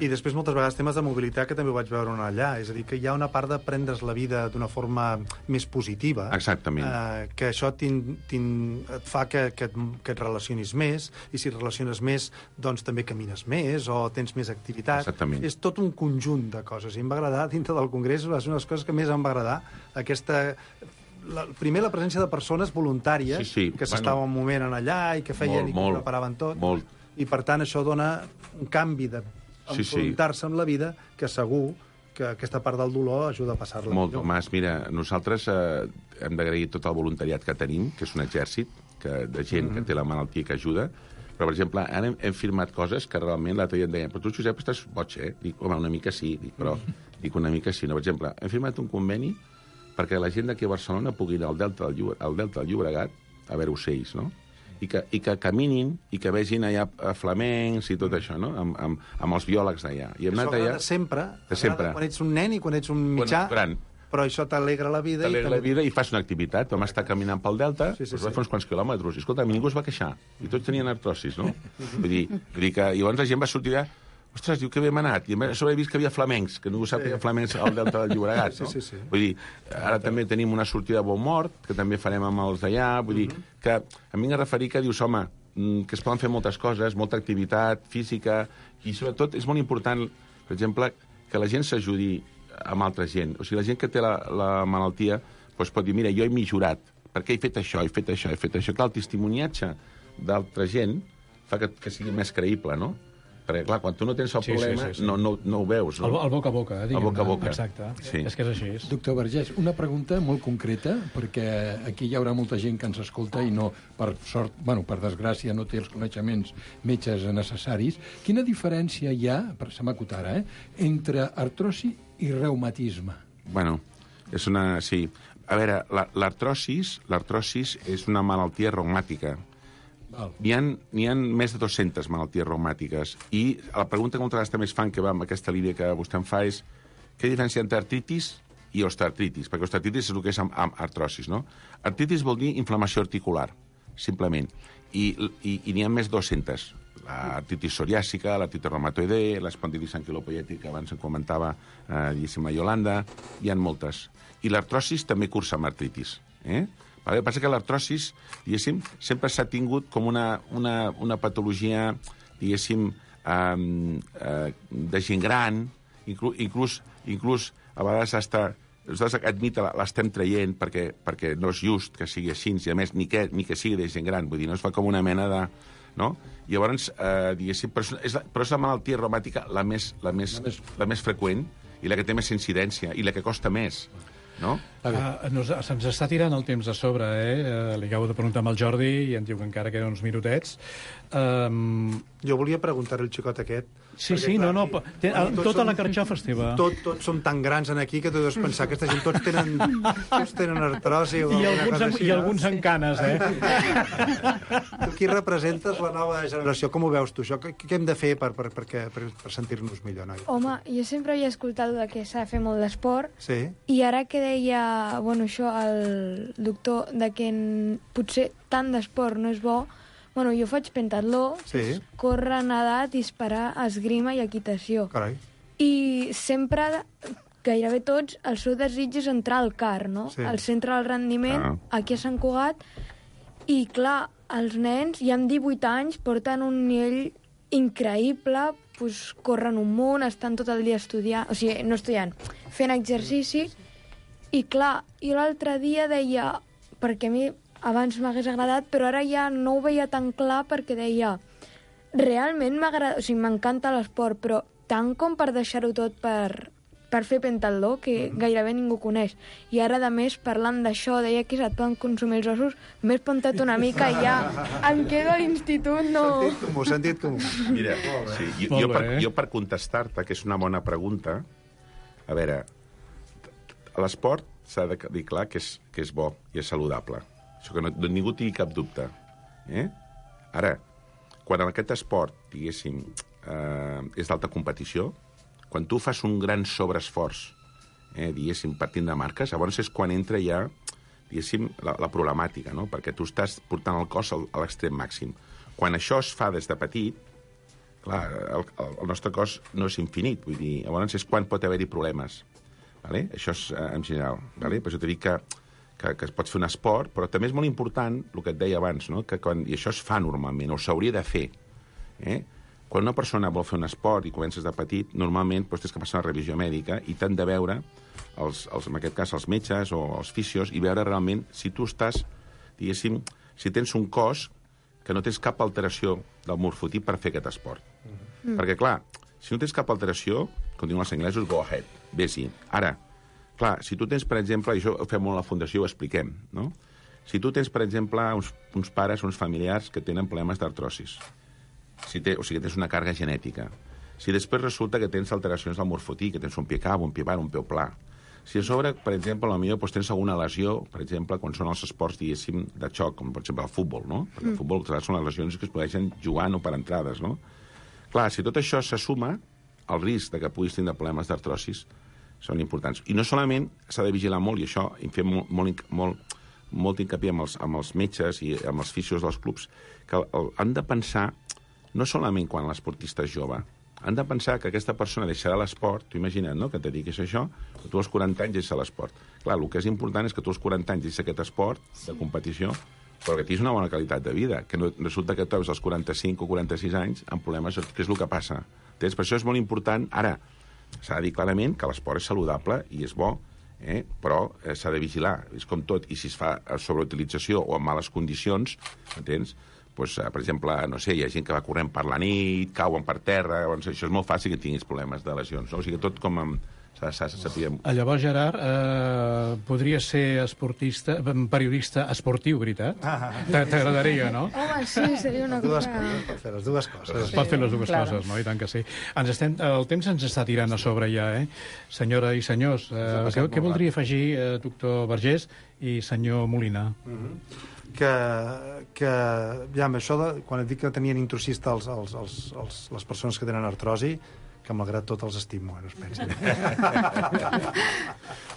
I després moltes vegades temes de mobilitat que també ho vaig veure allà, és a dir, que hi ha una part de prendre's la vida d'una forma més positiva. Exactament. Que això et fa que et relacionis més, i si et relaciones més, doncs també camines més, o tens més activitat. Exactament. És tot un conjunt de coses. I em va agradar, dintre del Congrés, va ser una de les coses que més em va agradar, primer la presència de persones voluntàries que s'estaven un moment allà i que feien i que preparaven tot. I per tant això dona un canvi d'enfrontar-se amb la vida que segur que aquesta part del dolor ajuda a passar-la millor. Tomàs, mira, nosaltres hem d'agrair tot el voluntariat que tenim, que és un exèrcit de gent que té la malaltia que ajuda, però, per exemple, ara hem firmat coses que realment l'altre dia em deien, però tu, Josep, estàs boig, eh? Dic, home, una mica sí, una mica sí. Per exemple, hem firmat un conveni perquè la gent d'aquí a Barcelona pugui anar al Delta del Llobregat a veure ocells, no? I que caminin i que vegin allà flamencs i tot això, no? Amb els biòlegs d'allà. Això agrada sempre, quan ets un nen i quan ets un mitjà, però això t'alegra la vida. T'alegra la vida i fas una activitat. Vam estar caminant pel Delta, va fer uns quants quilòmetres, i escolta, ningú es va queixar, i tots tenien artrosis, no? Vull dir que llavors la gent va sortir allà. Ostres, diu que hem anat. I a sobre he vist que hi havia flamencs, que ningú sap que hi ha flamencs al Delta del Llobregat, no? Vull dir, ara també tenim una sortida a Bonmort, que també farem amb els d'allà. Vull dir, que em vinc a referir que dius, home, que es poden fer moltes coses, molta activitat física, i sobretot és molt important, per exemple, que la gent s'ajudi amb altra gent. O sigui, la gent que té la malaltia doncs pot dir, mira, jo he millorat, perquè he fet això, he fet això. Clar, el testimoniatge d'altra gent fa que sigui més creïble, no? Perquè, clar, quan tu no tens el problema, no ho veus. El boca a boca, el boca a boca. Exacte. Sí. És que és així. Doctor Vergés, una pregunta molt concreta, perquè aquí hi haurà molta gent que ens escolta i no, per sort, per desgràcia, no té els coneixements metges necessaris. Quina diferència hi ha, se m'ha acut ara, entre artrosi i reumatisme? Bueno, és una... Sí. A veure, l'artrosis és una malaltia reumàtica. N'hi ha més de 200 malalties reumàtiques. I la pregunta que moltes vegades també es fan, que va amb aquesta línia que vostè em fa, és què diferència entre artritis i osteoartritis? Perquè osteoartritis és el que és amb artrosis, no? Artritis vol dir inflamació articular, simplement. I n'hi ha més de 200. L'artritis psoriàsica, l'artritis reumatoide, l'espondilitis anquilopoiètica, que abans en comentava, diguéssim, la Iolanda, hi ha moltes. I l'artrosis també cursa amb artritis, El que passa que l'artrosis, diguéssim, sempre s'ha tingut com una patologia, diguéssim, de gent gran, inclús a vegades nosaltres admita l'estem traient perquè no és just que sigui així, i a més ni que sigui de gent gran, vull dir, no es fa com una mena de... No? I llavors, diguéssim, però és la malaltia reumàtica la més freqüent i la que té més incidència i la que costa més. No? Se'ns està tirant el temps a sobre, Li acabo de preguntar amb el Jordi i em diu que encara queden uns minutets. Jo volia preguntar-li al xicot aquest... Sí, tota la carxofa esteva. Tots som tan grans aquí que tu deus pensar que aquesta gent tots tenen artrosi o I alguns en canes, Tu aquí representes la nova generació. Com ho veus tu, això? Què hem de fer per sentir-nos millor, noi? Home, jo sempre havia escoltat que s'ha de fer molt d'esport, i ara que deia, això, el doctor, que potser tant d'esport no és bo, jo faig pentatló, córrer, nedar, disparar, esgrima i equitació. Carai. I sempre, gairebé tots, el seu desig és entrar al CAR, no? Al centre del rendiment, aquí a Sant Cugat, i clar, els nens, ja amb 18 anys, porten un nivell increïble, corren un munt, estan tot el dia estudiant, o sigui, no estudiant, fent exercici, i clar, jo l'altre dia deia, perquè a mi abans m'hagués agradat, però ara ja no ho veia tan clar perquè deia, realment m'agrada, o sigui, m'encanta l'esport, però tant com per deixar-ho tot per fer pentatló, que gairebé ningú coneix. I ara, a més, parlant d'això, deia que se't poden consumir els ossos, m'he espantat una mica i ja em quedo a l'institut, no... Sentit comú. Mira, jo per contestar-te, que és una bona pregunta, a veure, l'esport s'ha de dir clar que és bo i és saludable. Això que ningú tingui cap dubte. Ara, quan aquest esport, diguéssim, és d'alta competició, quan tu fas un gran sobreesforç, diguéssim, partint de marques, llavors és quan entra ja, diguéssim, la problemàtica, no? Perquè tu estàs portant el cos a l'extrem màxim. Quan això es fa des de petit, clar, el nostre cos no és infinit, vull dir, llavors és quan pot haver-hi problemes. Vale? Això és en general. Vale? Per això t'he dit que es pot fer un esport, però també és molt important, el que et deia abans, no? I això es fa normalment, o s'hauria de fer. Quan una persona vol fer un esport i comences de petit, normalment tens que passar una revisió mèdica i t'han de veure, en aquest cas els metges o els fisios, i veure realment si tu estàs, diguéssim, si tens un cos que no tens cap alteració del morfotip per fer aquest esport. Perquè, clar, si no tens cap alteració, com diuen els anglesos, go ahead, vés-hi. Ara, clar, si tu tens, per exemple, i això ho fem molt a la Fundació, ho expliquem, no? Si tu tens, per exemple, uns pares, uns familiars que tenen problemes d'artrosis, o sigui, tens una càrrega genètica, si després resulta que tens alteracions del morfotip, que tens un pie cabo, un pie bar, un peu pla, si a sobre, per exemple, potser tens alguna lesió, per exemple, quan són els esports, diguéssim, de xoc, com per exemple el futbol, no? Perquè el futbol són les lesions que es podeixen jugar no per entrades, no? Clar, si tot això se suma, el risc de que puguis tenir problemes d'artrosis són importants. I no solament s'ha de vigilar molt, i això hi fem molt hincapié amb els metges i amb els fisios dels clubs, que han de pensar, no solament quan l'esportista és jove, han de pensar que aquesta persona deixarà l'esport, tu imagina't, no?, que et dediquis a això, que tu als 40 anys deixes l'esport. Clar, el que és important és que tu als 40 anys deixis aquest esport de competició, però que tinguis una bona qualitat de vida, que no resulta que tu veus als 45 o 46 anys amb problemes, què és el que passa? Per això és molt important, ara, s'ha de dir clarament que l'esport és saludable i és bo, però s'ha de vigilar, és com tot, i si es fa sobreutilització o en males condicions, entens? doncs, per exemple, no sé, hi ha gent que va corrent per la nit, cauen per terra, doncs això és molt fàcil que tinguis problemes de lesions, no? O sigui, tot com s'ha de saber... Llavors, Gerard, podria ser periodista esportiu, veritat? T'agradaria, no? Home, sí, seria una cosa... Per fer les dues coses. Es pot fer les dues coses, no? I tant que sí. El temps ens està tirant a sobre ja, Senyora i senyors, què voldria afegir, doctor Vergés i senyor Molina? Que ja, amb això, quan et dic que tenien intrusista les persones que tenen artrosi, que malgrat tot els estimo, no es pensi.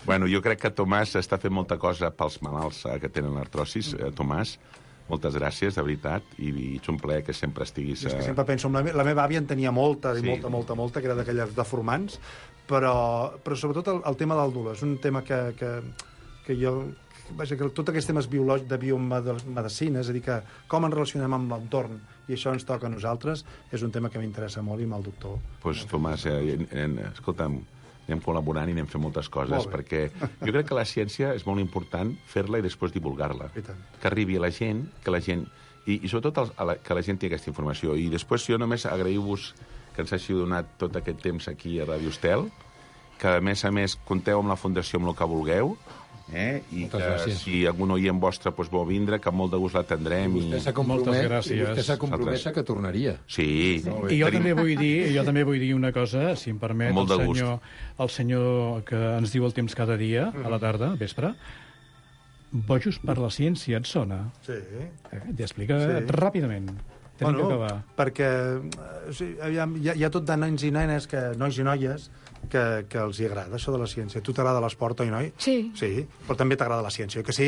Bueno, jo crec que Tomàs està fent molta cosa pels malalts que tenen artrosis. Tomàs, moltes gràcies, de veritat, i ets un plaer que sempre estiguis... És que sempre penso, la meva àvia en tenia molta, molta, que era d'aquelles deformants, però sobretot el tema del dolor. És un tema que jo... Vaja, que tots aquests temes biològics de biomedicina, és a dir, que com ens relacionem amb l'entorn i això ens toca a nosaltres, és un tema que m'interessa molt i amb el doctor. Doncs, Tomàs, escolta'm, anem col·laborant i anem fent moltes coses, perquè jo crec que la ciència és molt important fer-la i després divulgar-la. Que arribi a la gent, i sobretot que la gent tingui aquesta informació. I després jo només agraïu-vos que ens hàgiu donat tot aquest temps aquí a Ràdio Estel, que a més compteu amb la Fundació amb el que vulgueu, i que si algun oient vostre vol vindre, que amb molt de gust l'atendrem. Vostè s'ha compromès que tornaria. Sí. I jo també vull dir una cosa, si em permet, el senyor que ens diu el temps cada dia, a la tarda, vespre, Bojos per la ciència, et sona? Sí. T'hi explica ràpidament. Tenim que acabar. Perquè hi ha tot de nens i nenes, nois i noies, que els hi agrada això de la ciència. Tu t'agrada l'esport, oi, noi? Sí. Sí, però també t'agrada la ciència, oi que sí?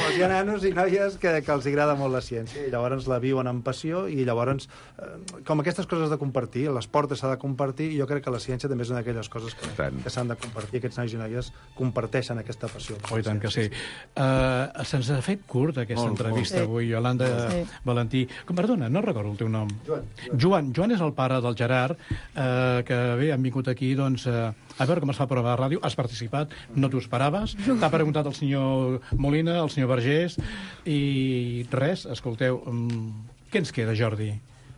Hi ha nanos i noies que els agrada molt la ciència i llavors la viuen amb passió i llavors, com aquestes coses de compartir, l'esport s'ha de compartir i jo crec que la ciència també és una d'aquelles coses que s'han de compartir. Aquests nois i noies comparteixen aquesta passió. Oh, i tant que sí. Se'ns ha fet curt aquesta entrevista avui, Iolanda Valentí. Perdona, no recordo el teu nom. Joan. Joan és el pare del Gerard, que bé, han vingut aquí, doncs, a veure com es fa a prova de ràdio. Has participat, no t'ho esperaves. T'ha preguntat el senyor Molina, el senyor Vergés, i res, escolteu, què ens queda, Jordi?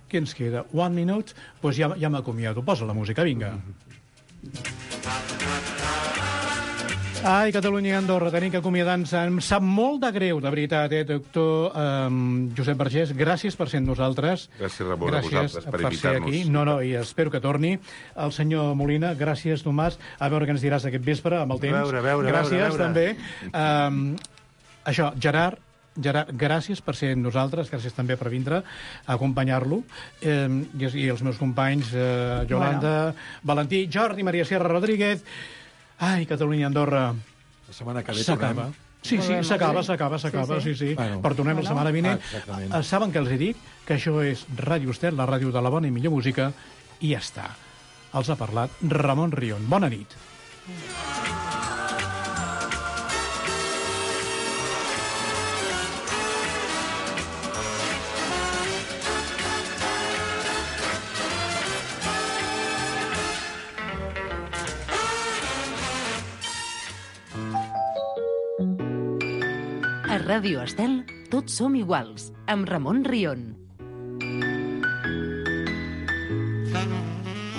Què ens queda? 1 minute? Doncs ja m'acomiado. Posa la música, vinga. Ai, Catalunya i Andorra, tenim que acomiadar-nos. Em sap molt de greu, de veritat, doctor Josep Vergés. Gràcies per ser amb nosaltres. Gràcies, Ramon, a vosaltres per invitar-nos. No, i espero que torni. El senyor Molina, gràcies, Tomàs. A veure què ens diràs aquest vespre, amb el temps. Gràcies, també. Això, Gerard, gràcies per ser amb nosaltres, gràcies també per vindre a acompanyar-lo, i els meus companys, Yolanda, Valentí, Jordi, Maria Sierra Rodríguez. Ai, Catalunya i Andorra. La setmana que ve s'acaba. Sí, s'acaba, sí. Però tornem la setmana vinent. Saben què els dic? Que això és Ràdio Estel, la ràdio de la bona i millor música, i ja està. Els ha parlat Ramon Rion. Bona nit. A Ràdio Estel, tots som iguals, amb Ramon Rion.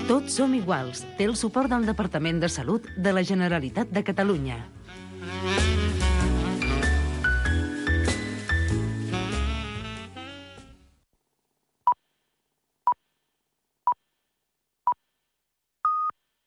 Tots som iguals té el suport del Departament de Salut de la Generalitat de Catalunya.